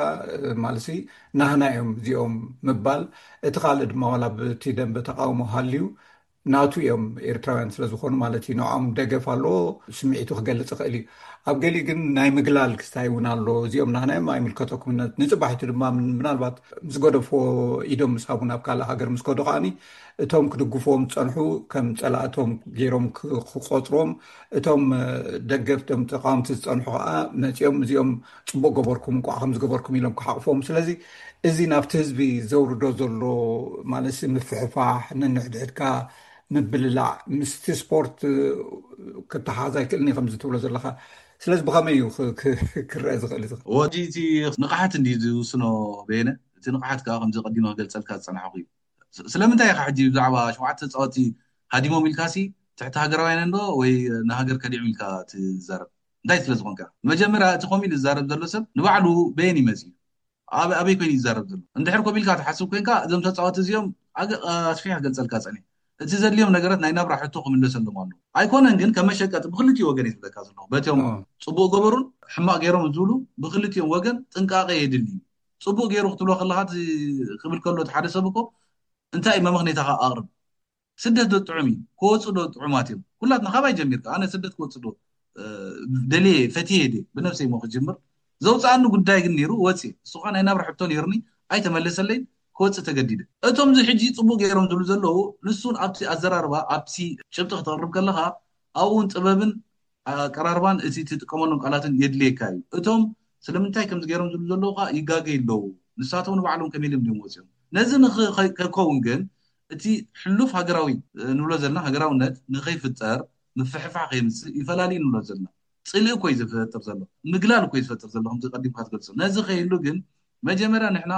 ማለሲ ናህና እዮም እዚኦም ምባል እቲ ካልእ ድማ ዋላ ብቲ ደንበ ተቃውሞ ሃልዩ ናቱ እዮም፣ ኤርትራውያን ስለ ዝኾኑ ማለት እዩ። ንዕኦም ደገፍ ኣለዎ፣ ስምዒቱ ክገልጽ ይኽእል እዩ። ኣብ ገሊ ግን ናይ ምግላል ክስታይ እውን ኣሎ። እዚኦም ናህናዮም ኣይምልከተኩምነት ንጽባሒቱ ድማ ምናልባት ምስ ገደፍዎ ኢዶም ምስ ሃቡ ናብ ካልእ ሃገር ምስ ከዱ ከዓኒ እቶም ክድግፍዎም ዝጸንሑ ከም ጸላእቶም ገይሮም ክቆጽሮም፣ እቶም ደገፍቶም ተቃወምቲ ዝጸንሑ ከዓ መጺኦም እዚኦም ጽቡቅ ገበርኩም፣ እንቋዕ ከም ዝገበርኩም ኢሎም ክሓቕፎም። ስለዚ እዚ ናብቲ ህዝቢ ዘውርዶ ዘሎ ማለት ምፍሕፋሕ፣ ነንሕድሕድካ ምብልላዕ ምስቲ ስፖርት ክተሓዝ ኣይክእልን እዩ ከምዚ ትብሎ ዘለካ። ስለዚ ብኸመይ እዩ ክረአ ዝኽእል? እዚ ወዲ እቲ ንቕሓት እንዲ ዝውስኖ በየነ፣ እቲ ንቕሓት ከዓ ከምዚ ቀዲመ ክገልፀልካ ዝፀናሕኩ እዩ። ስለምንታይ ኢኻ ሕጂ ብዛዕባ ሸውዓተ ተፃወቲ ሃዲሞም ኢልካሲ ትሕቲ ሃገራውያን እንዶ ወይ ንሃገር ከዲዑም ኢልካ ትዛረብ? እንታይ ስለ ዝኾንካ? መጀመርያ እቲ ኮሚል ዝዛረብ ዘሎ ሰብ ንባዕሉ በየን ይመጽ እዩ? ኣበይ ኮይኑ ይዛረብ ዘሎ? እንድሕር ኮሚልካ ትሓስብ ኮንካ እዞም ተፃወቲ እዚኦም ኣስፊሕ ክገልፀልካ ፀኒ እቲ ዘድልዮም ነገራት ናይ ናብራ ሕቶ ክምለሰሎም ኣሎ። ኣይኮነን ግን ከመሸቀጥ ብክልቲኡ ወገን ይትብለካ ዘለኹ በቲኦም ፅቡቅ ገበሩን ሕማቅ ገይሮም ዝብሉ ብክልቲኦም ወገን ጥንቃቄ የድሊ። ፅቡቅ ገይሩ ክትብሎ ከለካ ክብል ከሎ ሓደ ሰብ እኮ እንታይ መመክኔታካ ኣቅርብ። ስደት ዶ ጥዑም እዩ? ክወፁ ዶ ጥዑማት እዮም? ኩላትና ካባይ ጀሚርካ ኣነ ስደት ክወፁ ዶ ደልየ ፈትየ ደ ብነፍሰይ ሞ ክጅምር ዘውፅኣኒ ጉዳይ ግን ነይሩ ወፂ እሱኻ ናይ ናብራ ሕቶ ነይሩኒ ኣይተመለሰለይ ክወፅእ ተገዲደ። እቶም እዚ ሕጂ ፅቡቅ ገይሮም ዝብሉ ዘለዉ ንሱን ኣብቲ ኣዘራርባ ኣብቲ ጭብጢ ክተቅርብ ከለካ ኣብኡን ጥበብን ኣቀራርባን እቲ ትጥቀመሎም ቃላትን የድልየካ እዩ። እቶም ስለምንታይ ከምዚ ገይሮም ዝብሉ ዘለዉ ከዓ ይጋገ ኣለዉ። ንሳቶም ንባዕሎም ከመይ ኢሎም ድዮም ወፂኦም? ነዚ ከከውን ግን እቲ ሕሉፍ ሃገራዊ ንብሎ ዘለና ሃገራውነት ንኸይፍጠር ምፍሕፋሕ ከይምፅእ ይፈላልዩ ንብሎ ዘለና ፅልኢ እኮ ዝፈጥር ዘሎ ምግላል እኮ ዝፈጥር ዘሎ ከምዚ ቀዲምካ ትገልፆ ነዚ ከይህሉ ግን መጀመርያ ንሕና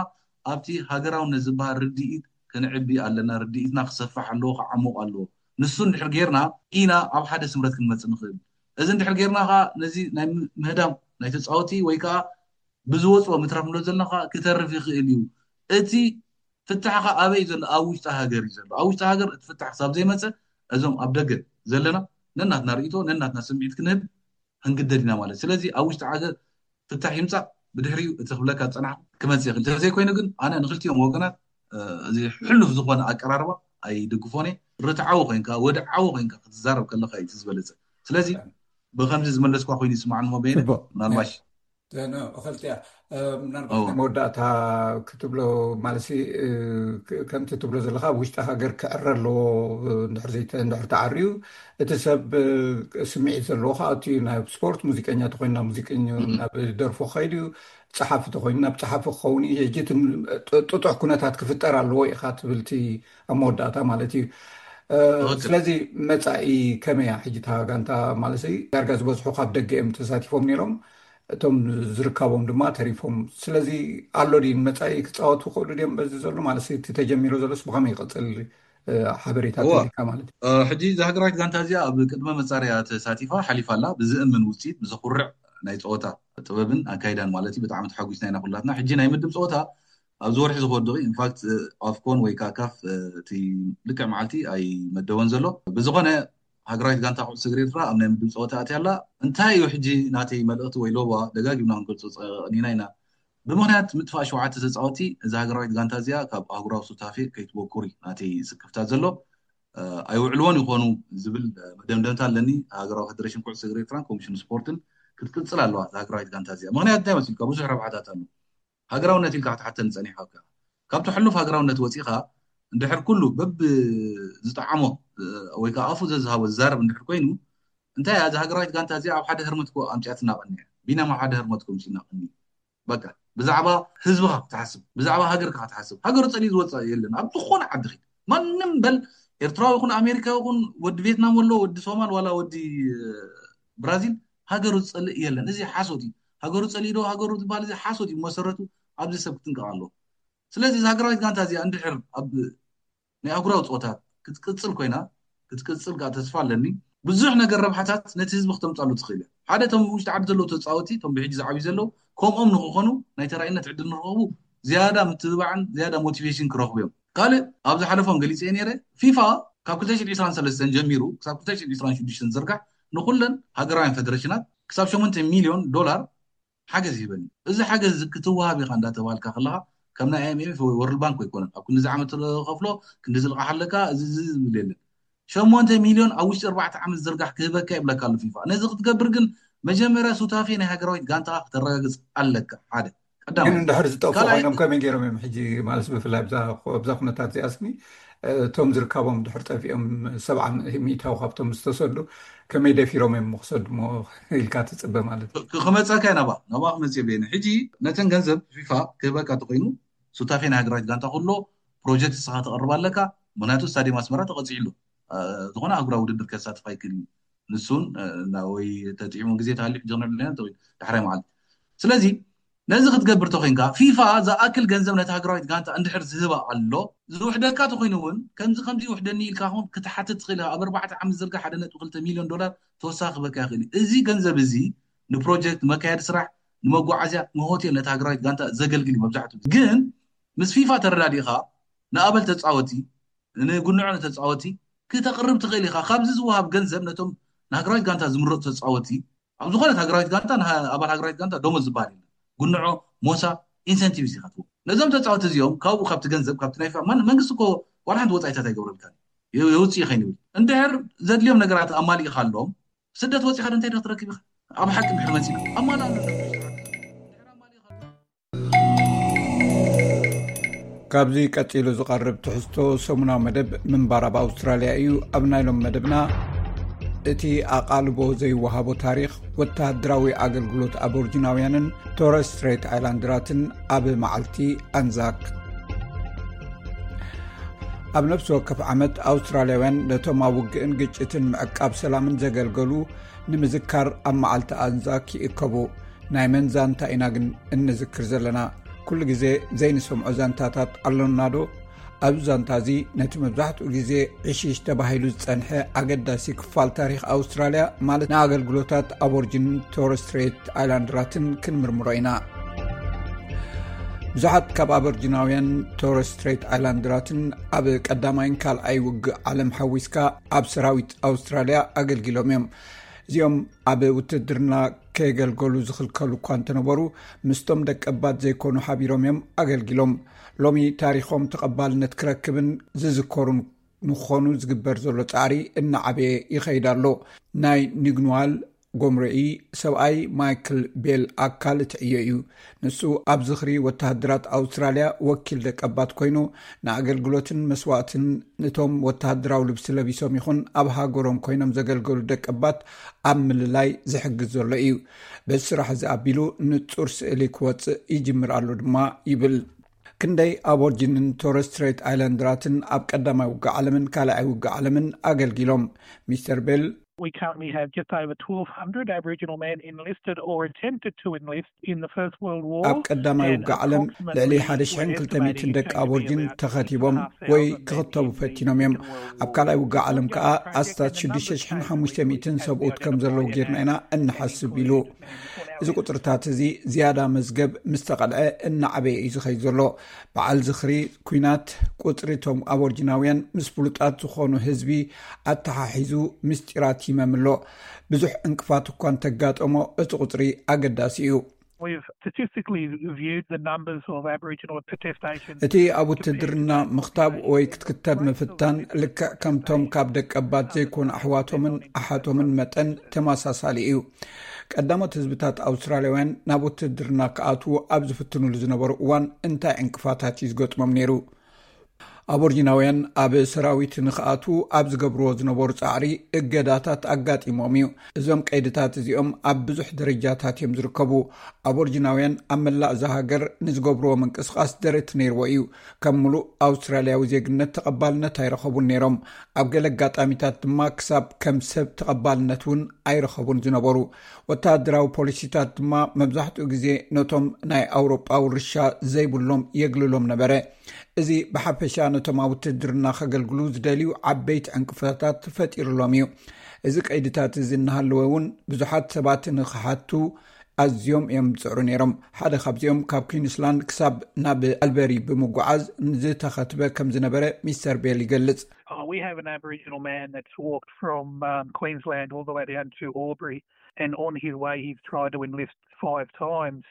ኣብቲ ሃገራውነት ዝበሃል ርድኢት ክንዕቢ ኣለና። ርድኢትና ክሰፍሕ ኣለዎ፣ ክዓሙቕ ኣለዎ። ንሱ እንድሕር ጌርና ኢና ኣብ ሓደ ስምረት ክንመፅእ ንኽእል። እዚ እንድሕር ጌርና ከዓ ነዚ ናይ ምህዳም ናይ ተፃወቲ ወይ ከዓ ብዝወፅኦ ምትራፍ ንብሎ ዘለና ከዓ ክተርፍ ይኽእል እዩ። እቲ ፍታሕ ከዓ ኣበይ እዩ ዘሎ? ኣብ ውሽጢ ሃገር እዩ ዘሎ። ኣብ ውሽጢ ሃገር እቲ ፍታሕ ክሳብ ዘይመፀ እዞም ኣብ ደገ ዘለና ነናትና ርእይቶ ነናትና ስምዒት ክንህብ ክንግደድ ኢና ማለት። ስለዚ ኣብ ውሽጢ ሃገር ፍታሕ ይምፃእ ብድሕሪኡ እቲ ክብለካ ዝፀናሕኩ ክመፅእ ይኽእል። እንተዘይኮይኑ ግን ኣነ ንክልቲኦም ወገናት እዚ ሕሉፍ ዝኾነ ኣቀራርባ ኣይድግፎን እየ። ርትዓዊ ኮይንካ ወድዓዊ ኮይንካ ክትዛረብ ከለካ እዩ እቲ ዝበለፀ። ስለዚ ብከምዚ ዝመለስኳ ኮይኑ ይስማዕኒ እሞ በየነ ምናልባሽ ክልቲያ ምናልባት ናይ መወዳእታ ክትብሎ ማለት ከምቲ ትብሎ ዘለካ ኣብ ውሽጢ ሃገር ክዕረ ኣለዎ። እንድሕር ተዓርዩ እቲ ሰብ ስምዒት ዘለዎ ከዓ እቲ ናብ ስፖርት ሙዚቀኛ ተኮይኑ ናብ ሙዚቀኛ ናብ ደርፎ ከይድ እዩ። ፀሓፊ ተኮይኑ ናብ ፀሓፊ ክኸውን እዩ። ሕጂ ጥጡሕ ኩነታት ክፍጠር ኣለዎ ኢካ ትብልቲ ኣብ መወዳእታ ማለት እዩ። ስለዚ መፃኢ ከመያ ሕጂ እታ ጋንታ ማለት ዳርጋ ዝበዝሑ ካብ ደገ እዮም ተሳቲፎም ነይሮም። እቶም ዝርካቦም ድማ ተሪፎም። ስለዚ ኣሎ ድዩ ንመፃኢ ክፃወቱ ክኽእሉ ድዮም በዚ ዘሎ ማለት እቲ ተጀሚሩ ዘሎስ ብኸመይ ይቐፅል? ሓበሬታ ተሊካ ማለት እዩ። ሕጂ እዛ ሃገራዊት ጋንታ እዚኣ ኣብ ቅድመ መፃረያ ተሳቲፋ ሓሊፋ ኣላ። ብዝእምን ውፅኢት ብዘኩርዕ ናይ ፀወታ ጥበብን ኣካይዳን ማለት እዩ ብጣዕሚ ተሓጒስና ኢና ኩላትና። ሕጂ ናይ ምድብ ፀወታ ኣብዚ ወርሒ ዝኸወድ ኢንፋክት ኣፍኮን ወይ ከዓ ካፍ እቲ ልክዕ መዓልቲ ኣይመደቦን ዘሎ። ብዝኾነ ሃገራዊት ጋንታ ኩዕሶ እግሪ ኤርትራ ኣብ ናይ ምድብ ፀወታ ኣትያ ኣላ። እንታይ እዩ ሕጂ ናተይ መልእኽቲ ወይ ሎባ ደጋጊምና ክንገልፆ ፀኒና ኢና። ብምኽንያት ምጥፋእ ሸውዓተ ተፃወቲ እዛ ሃገራዊት ጋንታ እዚኣ ካብ ኣህጉራዊ ሱታፌ ከይትበኩር እዩ ናተይ ስክፍታ ዘሎ። ኣይውዕልዎን ይኾኑ ዝብል መደምደምታ ኣለኒ። ሃገራዊ ፌደሬሽን ኩዕሶ እግሪ ኤርትራን ኮሚሽን ስፖርትን ክትቅፅል ኣለዋ እዛ ሃገራዊት ጋንታ እዚኣ። ምኽንያት እንታይ መሲልካ ብዙሕ ረብሓታት ኣሎ። ሃገራውነት ኢልካ ክትሓተኒ ጸኒሕካ ኣብካ። ካብቲ ሕሉፍ ሃገራውነት ወጺኻ እንድሕር ኩሉ በብ ዝጠዓሞ ወይ ከዓ ኣፉ ዘዝሃቦ ዝዛረብ እንድሕር ኮይኑ እንታይ እያ እዛ ሃገራዊት ጋንታ እዚኣ ኣብ ሓደ ህርመት እኮ ኣምጺኣትና ቀኒያ። ቢናም ኣብ ሓደ ህርመት እኮ ኣምጺእና ቀኒዩ። በቃ ብዛዕባ ህዝብኻ ክትሓስብ፣ ብዛዕባ ሃገርካ ክትሓስብ። ሃገሩ ጸሊኡ ዝወጽእ የለን። ኣብ ዝኾነ ዓዲ ኺድ ማንም በል ኤርትራዊ ይኹን ኣሜሪካዊ ይኹን ወዲ ቬትናም ወሎ ወዲ ሶማል ዋላ ወዲ ብራዚል ሃገሩ ዝጸልእ የለን። እዚ ሓሶት እዩ። ሃገሩ ጸሊኡ ዶ ሃገሩ ዝበሃል እዚ ሓሶት እዩ። መሰረቱ ኣብዚ ሰብ ክትንቀቕ ኣለዎ። ስለዚ እዛ ሃገራዊት ጋንታ እዚኣ እንድሕር ኣብ ናይ ኣህጉራዊ ፀወታ ክትቅፅል ኮይና ክትቅፅል ከዓ ተስፋ ኣለኒ። ብዙሕ ነገር ረብሓታት ነቲ ህዝቢ ክተምፃሉ ትኽእል እያ። ሓደ እቶም ውሽጢ ዓዲ ዘለዉ ተፃወቲ እቶም ብሕጂ ዝዓብዩ ዘለዉ ከምኦም ንክኾኑ ናይ ተራእይነት ዕድል ንክረኽቡ ዝያዳ ምትብባዕን ዝያዳ ሞቲቬሽን ክረኽቡ እዮም። ካልእ ኣብ ዝሓለፎም ገሊፀ ነይረ ፊፋ ካብ ክልተ ሽሕን ዕስራን ሰለስተን ጀሚሩ ክሳብ ክልተ ሽሕን ዕስራን ሽዱሽተን ዝርጋሕ ንኩለን ሃገራውያን ፌደሬሽናት ክሳብ ሸሞንተ ሚልዮን ዶላር ሓገዝ ይህበኒ። እዚ ሓገዝ እዚ ክትወሃብ ኢኻ እንዳተባሃልካ ከለኻ ከም ናይ ኣይኤምኤፍ ወይ ወርልድ ባንክ ኣይኮነን። ኣብ ክንዲ ዝዓመት ትኸፍሎ ክንዲ ዝልቃሕ ኣለካ እዚ እዚ ዝብል የለን። ሸሞንተ ሚልዮን ኣብ ውሽጢ ኣርባዕተ ዓመት ዝርጋሕ ክህበካ ይብለካ ኣሎ ፊፋ። ነዚ ክትገብር ግን መጀመርያ ሱታፌ ናይ ሃገራዊት ጋንታ ክተረጋግፅ ኣለካ። ሓደ ቀዳማይ። ግን እንድሕር ዝጠፍኡ ካልኣይ- ኮይኖም ከመይ ገይሮም እዮም ሕጂ ማለት ብፍላይ ኣብዛ ኣብዛ ኩነታት እዚኣስኒ እቶም ዝርካቦም ድሕር ጠፊኦም ሰብዓ ሚእታዊ ካብቶም ዝተሰዱ ከመይ ደፊሮም እዮም ክሰዱ ሞ ኢልካ ትፅበ ማለት እዩ። ክ- ክመፀካ እዩ ናባ ናባ ክመፅ የብለኒ። ሕጂ ነተን ገንዘብ ፊፋ ክህበካ ተኮይኑ ሱታፌ ናይ ሃገራዊት ጋንታ ኩሎ ፕሮጀክት ስኻ ተቐርብ ኣለካ። ምክንያቱ ስታዲየም ኣስመራ ተቐፂዕሉ ዝኾነ ኣህጉራዊ ውድድር ከሳትፍ ኣይክእል እዩ። ንሱን ወይ ተጥዒሙ ግዜ ተሃልዩ ሕጂ ክነብለና ተወይ ዳሕራይ መዓልቲ። ስለዚ ነዚ ክትገብር ተኮይንካ ፊፋ ዝኣክል ገንዘብ ነቲ ሃገራዊት ጋንታ እንድሕር ዝህባ ኣሎ ዝውሕደካ ተኮይኑ እውን ከምዚ ከምዚ ይውሕደኒ ኢልካ ኹን ክትሓትት ትኽእል ኢኻ። ኣብ ኣርባዕተ ዓመት ዝርጋ ሓደ ነጥቢ ክልተ ሚልዮን ዶላር ተወሳኺ ክበካ ይኽእል እዩ። እዚ ገንዘብ እዚ ንፕሮጀክት መካየዲ ስራሕ ንመጓዓዝያ ንሆቴል ነቲ ሃገራዊት ጋንታ ዘገልግል እዩ። መብዛሕትኡ ግን ምስ ፊፋ ተረዳዲእኻ ንኣበል ተፃወቲ ንጉንዖ ንተፃወቲ ክተቕርብ ትኽእል ኢኻ። ካብዚ ዝወሃብ ገንዘብ ነቶም ንሃገራዊት ጋንታ ዝምረፁ ተፃወቲ ኣብ ዝኾነት ሃገራዊት ጋንታ ንሃ- ኣባል ሃገራዊት ጋንታ ደሞዝ ዝበሃል የለን። ጉንዖ ሞሳ ኢንሰንቲቭ ኢኻ ትህቦ ነዞም ተፃወቲ እዚኦም። ካብኡ ካብቲ ገንዘብ ካብቲ ናይ ፋ- ማን- መንግስቲ እኮ ዋላ ሓንቲ ወፃኢታት ኣይገብረልካ የውፅእ ይኸይን ይብል። እንድሕር ዘድልዮም ነገራት ኣማሊእካ ኣሎም ስደት ወፂኻ እንታይ ዶ ክትረክብ ኢኻ? ኣብ ሓቂ እንድሕር መፂ ኣማላ ካብዚ ቀፂሉ ዝቐርብ ትሕዝቶ ሰሙናዊ መደብ ምንባር ኣብ ኣውስትራልያ እዩ። ኣብ ናይ ሎም መደብና እቲ ኣቓልቦ ዘይወሃቦ ታሪኽ ወተሃደራዊ ኣገልግሎት ኣቦርጂናውያንን ቶረስ ስትሬት ኣይላንድራትን ኣብ መዓልቲ ኣንዛክ። ኣብ ነፍሲ ወከፍ ዓመት ኣውስትራልያውያን ነቶም ኣብ ውግእን ግጭትን ምዕቃብ ሰላምን ዘገልገሉ ንምዝካር ኣብ መዓልቲ ኣንዛክ ይእከቡ። ናይ መን ዛንታ ኢና ግን እንዝክር ዘለና? ኩሉ ግዜ ዘይንሰምዖ ዛንታታት ኣሎና ዶ? ኣብዚ ዛንታ እዚ ነቲ መብዛሕትኡ ግዜ ዕሽሽ ተባሂሉ ዝጸንሐ ኣገዳሲ ክፋል ታሪኽ ኣውስትራልያ፣ ማለት ንኣገልግሎታት ኣቦርጂንን ቶረስ ስትሬት ኣይላንድራትን ክንምርምሮ ኢና። ብዙሓት ካብ ኣቦርጂናውያን ቶረስ ስትሬት ኣይላንድራትን ኣብ ቀዳማይን ካልኣይ ውግእ ዓለም ሓዊስካ ኣብ ሰራዊት ኣውስትራልያ ኣገልጊሎም እዮም። እዚኦም ኣብ ውትድርና ከየገልገሉ ዝኽልከሉ እኳ እንተነበሩ ምስቶም ደቀባት ዘይኮኑ ሓቢሮም እዮም ኣገልጊሎም። ሎሚ ታሪኾም ተቐባልነት ክረክብን ዝዝከሩን ንኾኑ ዝግበር ዘሎ ጻዕሪ እናዓበየ ይኸይድ ኣሎ። ናይ ኒግኑዋል ጎምረኢ ሰብኣይ ማይክል ቤል ኣካል እቲ ዕዮ እዩ። ንሱ ኣብ ዝኽሪ ወተሃደራት ኣውስትራልያ ወኪል ደቀባት ኮይኑ ንኣገልግሎትን መስዋእትን ንቶም ወተሃደራዊ ልብሲ ለቢሶም ይኹን ኣብ ሃገሮም ኮይኖም ዘገልገሉ ደቀባት ኣብ ምልላይ ዝሕግዝ ዘሎ እዩ። በዚ ስራሕ እዚ ኣቢሉ ንጹር ስእሊ ክወጽእ ይጅምር ኣሎ ድማ ይብል። ክንደይ ኣቦርጂንን ቶረስ ስትሬት ኣይላንድራትን ኣብ ቀዳማይ ውግእ ዓለምን ካልኣይ ውግእ ዓለምን ኣገልጊሎም? ሚስተር ቤል We currently have just over twelve hundred Aboriginal men enlisted or attempted to enlist in the First World War. ኣብ ቀዳማይ ውግእ ዓለም ልዕሊ ሓደ ሽሕን ክልተ ሚእትን ደቂ ኣቦርጂን ተኸቲቦም ወይ ክኽተቡ ፈቲኖም እዮም። ኣብ ካልኣይ ውግእ ዓለም ከኣ ኣስታት ሽዱሽተ ሽሕን ሓሙሽተ ሚእትን ሰብኡት ከም ዘለዉ ጌርና ኢና እንሓስብ ኢሉ። እዚ ቁፅርታት እዚ ዝያዳ መዝገብ ምስ ተቐልዐ እናዓበየ እዩ ዝኸይድ ዘሎ። በዓል ዝኽሪ ኲናት ቁፅሪ እቶም ኣቦርጂናውያን ምስ ፍሉጣት ዝኾኑ ህዝቢ ኣተሓሒዙ ምስጢራት ይመም ኣሎ። ብዙሕ ዕንቅፋት እኳ እንተጋጠሞ እቲ ቁፅሪ ኣገዳሲ እዩ። We've statistically viewed the numbers of Aboriginal protestations. እቲ ኣብ ውትድርና ምኽታብ ወይ ክትክተብ ምፍታን ልክዕ ከምቶም ካብ ደቀባት ዘይኮኑ ኣሕዋቶምን ኣሓቶምን መጠን ተመሳሳሊ እዩ። ቀዳሞት ህዝብታት ኣውስትራልያውያን ናብ ውትድርና ክኣትዉ ኣብ ዝፍትኑሉ ዝነበሩ እዋን እንታይ ዕንቅፋታት እዩ ዝገጥሞም ነይሩ? ኣቦርጂናውያን ኣብ ሰራዊት ንኽኣትዉ ኣብ ዝገብርዎ ዝነበሩ ጻዕሪ እገዳታት ኣጋጢሞም እዩ። እዞም ቀይድታት እዚኦም ኣብ ብዙሕ ደረጃታት እዮም ዝርከቡ። ኣቦርጂናውያን ኣብ መላእ እዛ ሃገር ንዝገብርዎ ምንቅስቓስ ደረት ነይርዎ እዩ። ከም ምሉእ ኣውስትራልያዊ ዜግነት ተቐባልነት ኣይረኸቡን ነይሮም። ኣብ ገለ ኣጋጣሚታት ድማ ክሳብ ከም ሰብ ተቐባልነት እውን ኣይረኸቡን ዝነበሩ። ወተሃደራዊ ፖሊሲታት ድማ መብዛሕትኡ ግዜ ነቶም ናይ ኣውሮጳ ውርሻ ዘይብሎም የግልሎም ነበረ። እዚ ብሓፈሻ ነቶም ኣብ ውትድርና ከገልግሉ ዝደልዩ ዓበይቲ ዕንቅፋታት ፈጢሩሎም እዩ። እዚ ቀይድታት እዚ እናሃለወ እውን ብዙሓት ሰባት ንኽሓቱ ኣዝዮም እዮም ዝፅዕሩ ነይሮም። ሓደ ካብዚኦም ካብ ኩንስላንድ ክሳብ ናብ ኣልበሪ ብምጉዓዝ ዝተኸትበ ከም ዝነበረ ሚስተር ቤል ይገልጽ። Oh, we have an Aboriginal man that's walked from um, Queensland all the way down to Albury, and on his way, he's tried to enlist five times.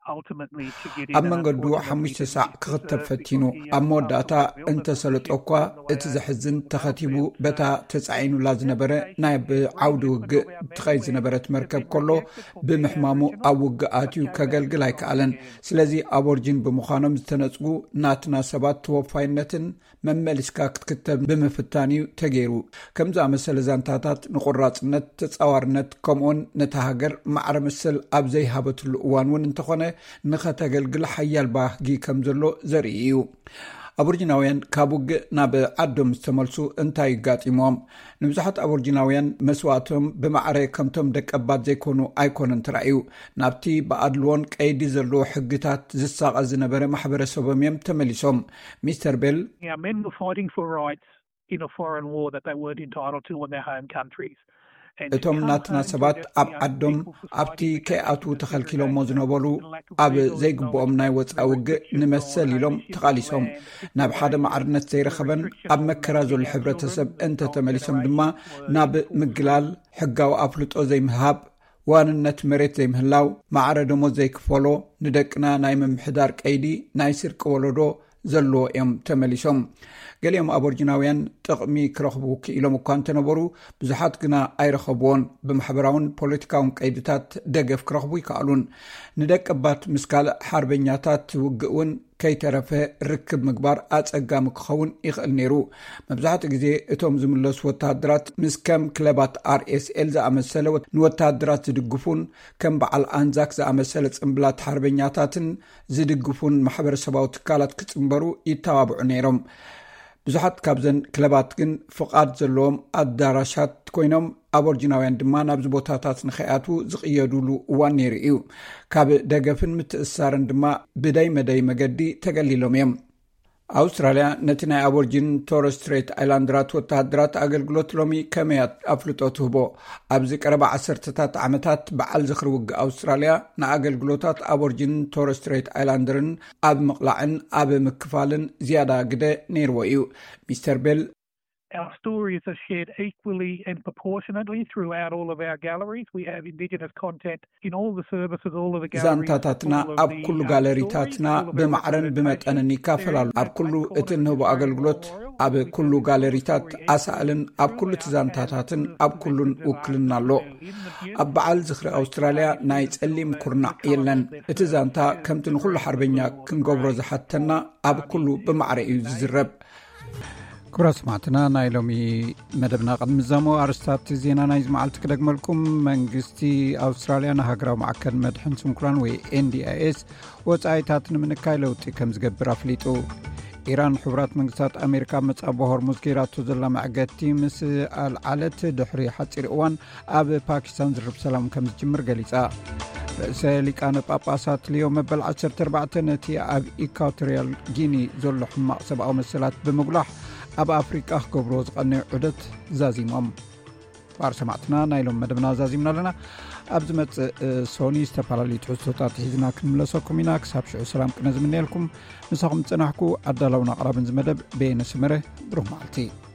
ኣብ መንገዱ ሓሙሽተ ሳዕ ክኽተብ ፈቲኑ፣ ኣብ መወዳእታ እንተሰለጦ እኳ፣ እቲ ዘሕዝን፣ ተኸቲቡ በታ ተጻዒኑላ ዝነበረ ናይ ብዓውዲ ውግእ ትኸይድ ዝነበረት መርከብ ከሎ ብምሕማሙ ኣብ ውግእ ኣትዩ ከገልግል ኣይከኣለን። ስለዚ ኣቦርጂን ብምዃኖም ዝተነጽጉ ናትና ሰባት ተወፋይነትን መመሊስካ ክትክተብ ብምፍታን እዩ ተገይሩ። ከም ዝኣመሰለ ዛንታታት ንቁራጽነት፣ ተጻዋርነት፣ ከምኡውን ነታ ሃገር ማዕረ መሰል ኣብ ዘይሃበትሉ እዋን እውን እንተኾነ ንኸተገልግል ሓያል ባህጊ ከም ዘሎ ዘርኢ እዩ። ኣቦርጂናውያን ካብ ውግእ ናብ ዓዶም ዝተመልሱ እንታይ ይጋጢሞም? ንብዙሓት ኣቦርጂናውያን መስዋእቶም ብማዕረ ከምቶም ደቀባት ዘይኮኑ ኣይኮነን ተራእዩ። ናብቲ ብኣድልዎን ቀይዲ ዘለዎ ሕግታት ዝሳቐ ዝነበረ ማሕበረሰቦም እዮም ተመሊሶም። ሚስተር ቤል Our men were fighting for rights in a foreign war that they weren't entitled to in their home countries. እቶም ናትና ሰባት ኣብ ዓዶም ኣብቲ ከይኣትዉ ተኸልኪሎሞ ዝነበሩ ኣብ ዘይግብኦም ናይ ወፃኢ ውግእ ንመሰል ኢሎም ተቓሊሶም ናብ ሓደ ማዕርነት ዘይረኸበን ኣብ መከራ ዘሎ ሕብረተሰብ እንተተመሊሶም ድማ ናብ ምግላል ሕጋዊ ኣፍልጦ ዘይምህሃብ ዋንነት መሬት ዘይምህላው ማዕረ ደሞዝ ዘይክፈሎ ንደቅና ናይ ምምሕዳር ቀይዲ ናይ ስርቂ ወለዶ ዘለዎ እዮም ተመሊሶም። ገሊኦም ኣቦርጂናውያን ጥቕሚ ክረኽቡ ክኢሎም እኳ እንተነበሩ ብዙሓት ግና ኣይረኸብዎን። ብማሕበራውን ፖለቲካውን ቀይድታት ደገፍ ክረኽቡ ይከኣሉን። ንደቀባት ምስ ካልእ ሓርበኛታት ውግእ እውን ከይተረፈ ርክብ ምግባር ኣጸጋሚ ክኸውን ይኽእል ነይሩ። መብዛሕትኡ ግዜ እቶም ዝምለሱ ወተሃደራት ምስ ከም ክለባት ኣር ኤስ ኤል ዝኣመሰለ ንወተሃደራት ዝድግፉን ከም በዓል ኣንዛክ ዝኣመሰለ ጽምብላት ሓርበኛታትን ዝድግፉን ማሕበረሰባዊ ትካላት ክጽንበሩ ይተባብዑ ነይሮም። ብዙሓት ካብዘን ክለባት ግን ፍቓድ ዘለዎም ኣዳራሻት ኮይኖም ኣቦርጂናውያን ድማ ናብዚ ቦታታት ንኸይኣትዉ ዝቕየዱሉ እዋን ነይሩ እዩ። ካብ ደገፍን ምትእስሳርን ድማ ብደይ መደይ መገዲ ተገሊሎም እዮም። ኣውስትራልያ ነቲ ናይ ኣቦርጂን ቶረስ ስትሬት ኣይላንድራት ወተሃደራት ኣገልግሎት ሎሚ ከመይ ኣፍልጦ ትህቦ? ኣብዚ ቀረባ ዓሰርተታት ዓመታት በዓል ዝኽሪ ውግእ ኣውስትራልያ ንኣገልግሎታት ኣቦርጂን ቶረስ ስትሬት ኣይላንደርን ኣብ ምቕላዕን ኣብ ምክፋልን ዝያዳ ግደ ነይርዎ እዩ። ሚስተር ቤል Our stories are shared equally and proportionately throughout all of our galleries. We have Indigenous content in all the services, all of the galleries. ዛንታታትና ኣብ ኩሉ ጋለሪታትና ብማዕረን ብመጠንን ይካፈላሉ። ኣብ ኩሉ እቲ እንህቦ ኣገልግሎት ኣብ ኩሉ ጋለሪታት ኣሳእልን ኣብ ኩሉ እቲ ዛንታታትን ኣብ ኩሉን ውክልና ኣሎ። ኣብ በዓል ዝኽሪ ኣውስትራልያ ናይ ጸሊም ኩርናዕ የለን። እቲ ዛንታ ከምቲ ንኹሉ ሓርበኛ ክንገብሮ ዝሓተና ኣብ ኩሉ ብማዕረ እዩ ዝዝረብ። ክቡራት ሰማዕትና ናይ ሎሚ መደብና ቅድሚ ዛሞ ኣርስታት ዜና ናይዚ መዓልቲ ክደግመልኩም። መንግስቲ ኣውስትራልያ ንሃገራዊ ማዕከን መድሕን ስንኩላን ወይ ኤንዲኣይኤስ ወፃኢታት ንምንካይ ለውጢ ከም ዝገብር ኣፍሊጡ። ኢራን ሕቡራት መንግስታት ኣሜሪካ ኣብ መጻቦ ሆርሙዝ ገይራቶ ዘላ መዕገቲ ምስ ኣልዓለት ድሕሪ ሓፂር እዋን ኣብ ፓኪስታን ዝርብ ሰላም ከም ዝጅምር ገሊጻ። ርእሰ ሊቃነ ጳጳሳት ሊዮ መበል ዓሰርተ ኣርባዕተ ነቲ ኣብ ኢኳቶሪያል ጊኒ ዘሎ ሕማቕ ሰብኣዊ መሰላት ብምጉላሕ ኣብ ኣፍሪቃ ክገብርዎ ዝቐነዩ ዑደት ዛዚሞም። ባር ሰማዕትና ናይ ሎም መደብና ዛዚምና ኣለና። ኣብ ዝመጽእ ሶኒ ዝተፈላለዩ ትሕዝቶታት ሒዝና ክንምለሰኩም ኢና። ክሳብ ሽዑ ሰላም ቅነ ዝምነየልኩም ምሳኹም ዝጸናሕኩ ኣዳላውን ኣቕራብን ዝመደብ በየነ ስመረ። ብሩህ መዓልቲ።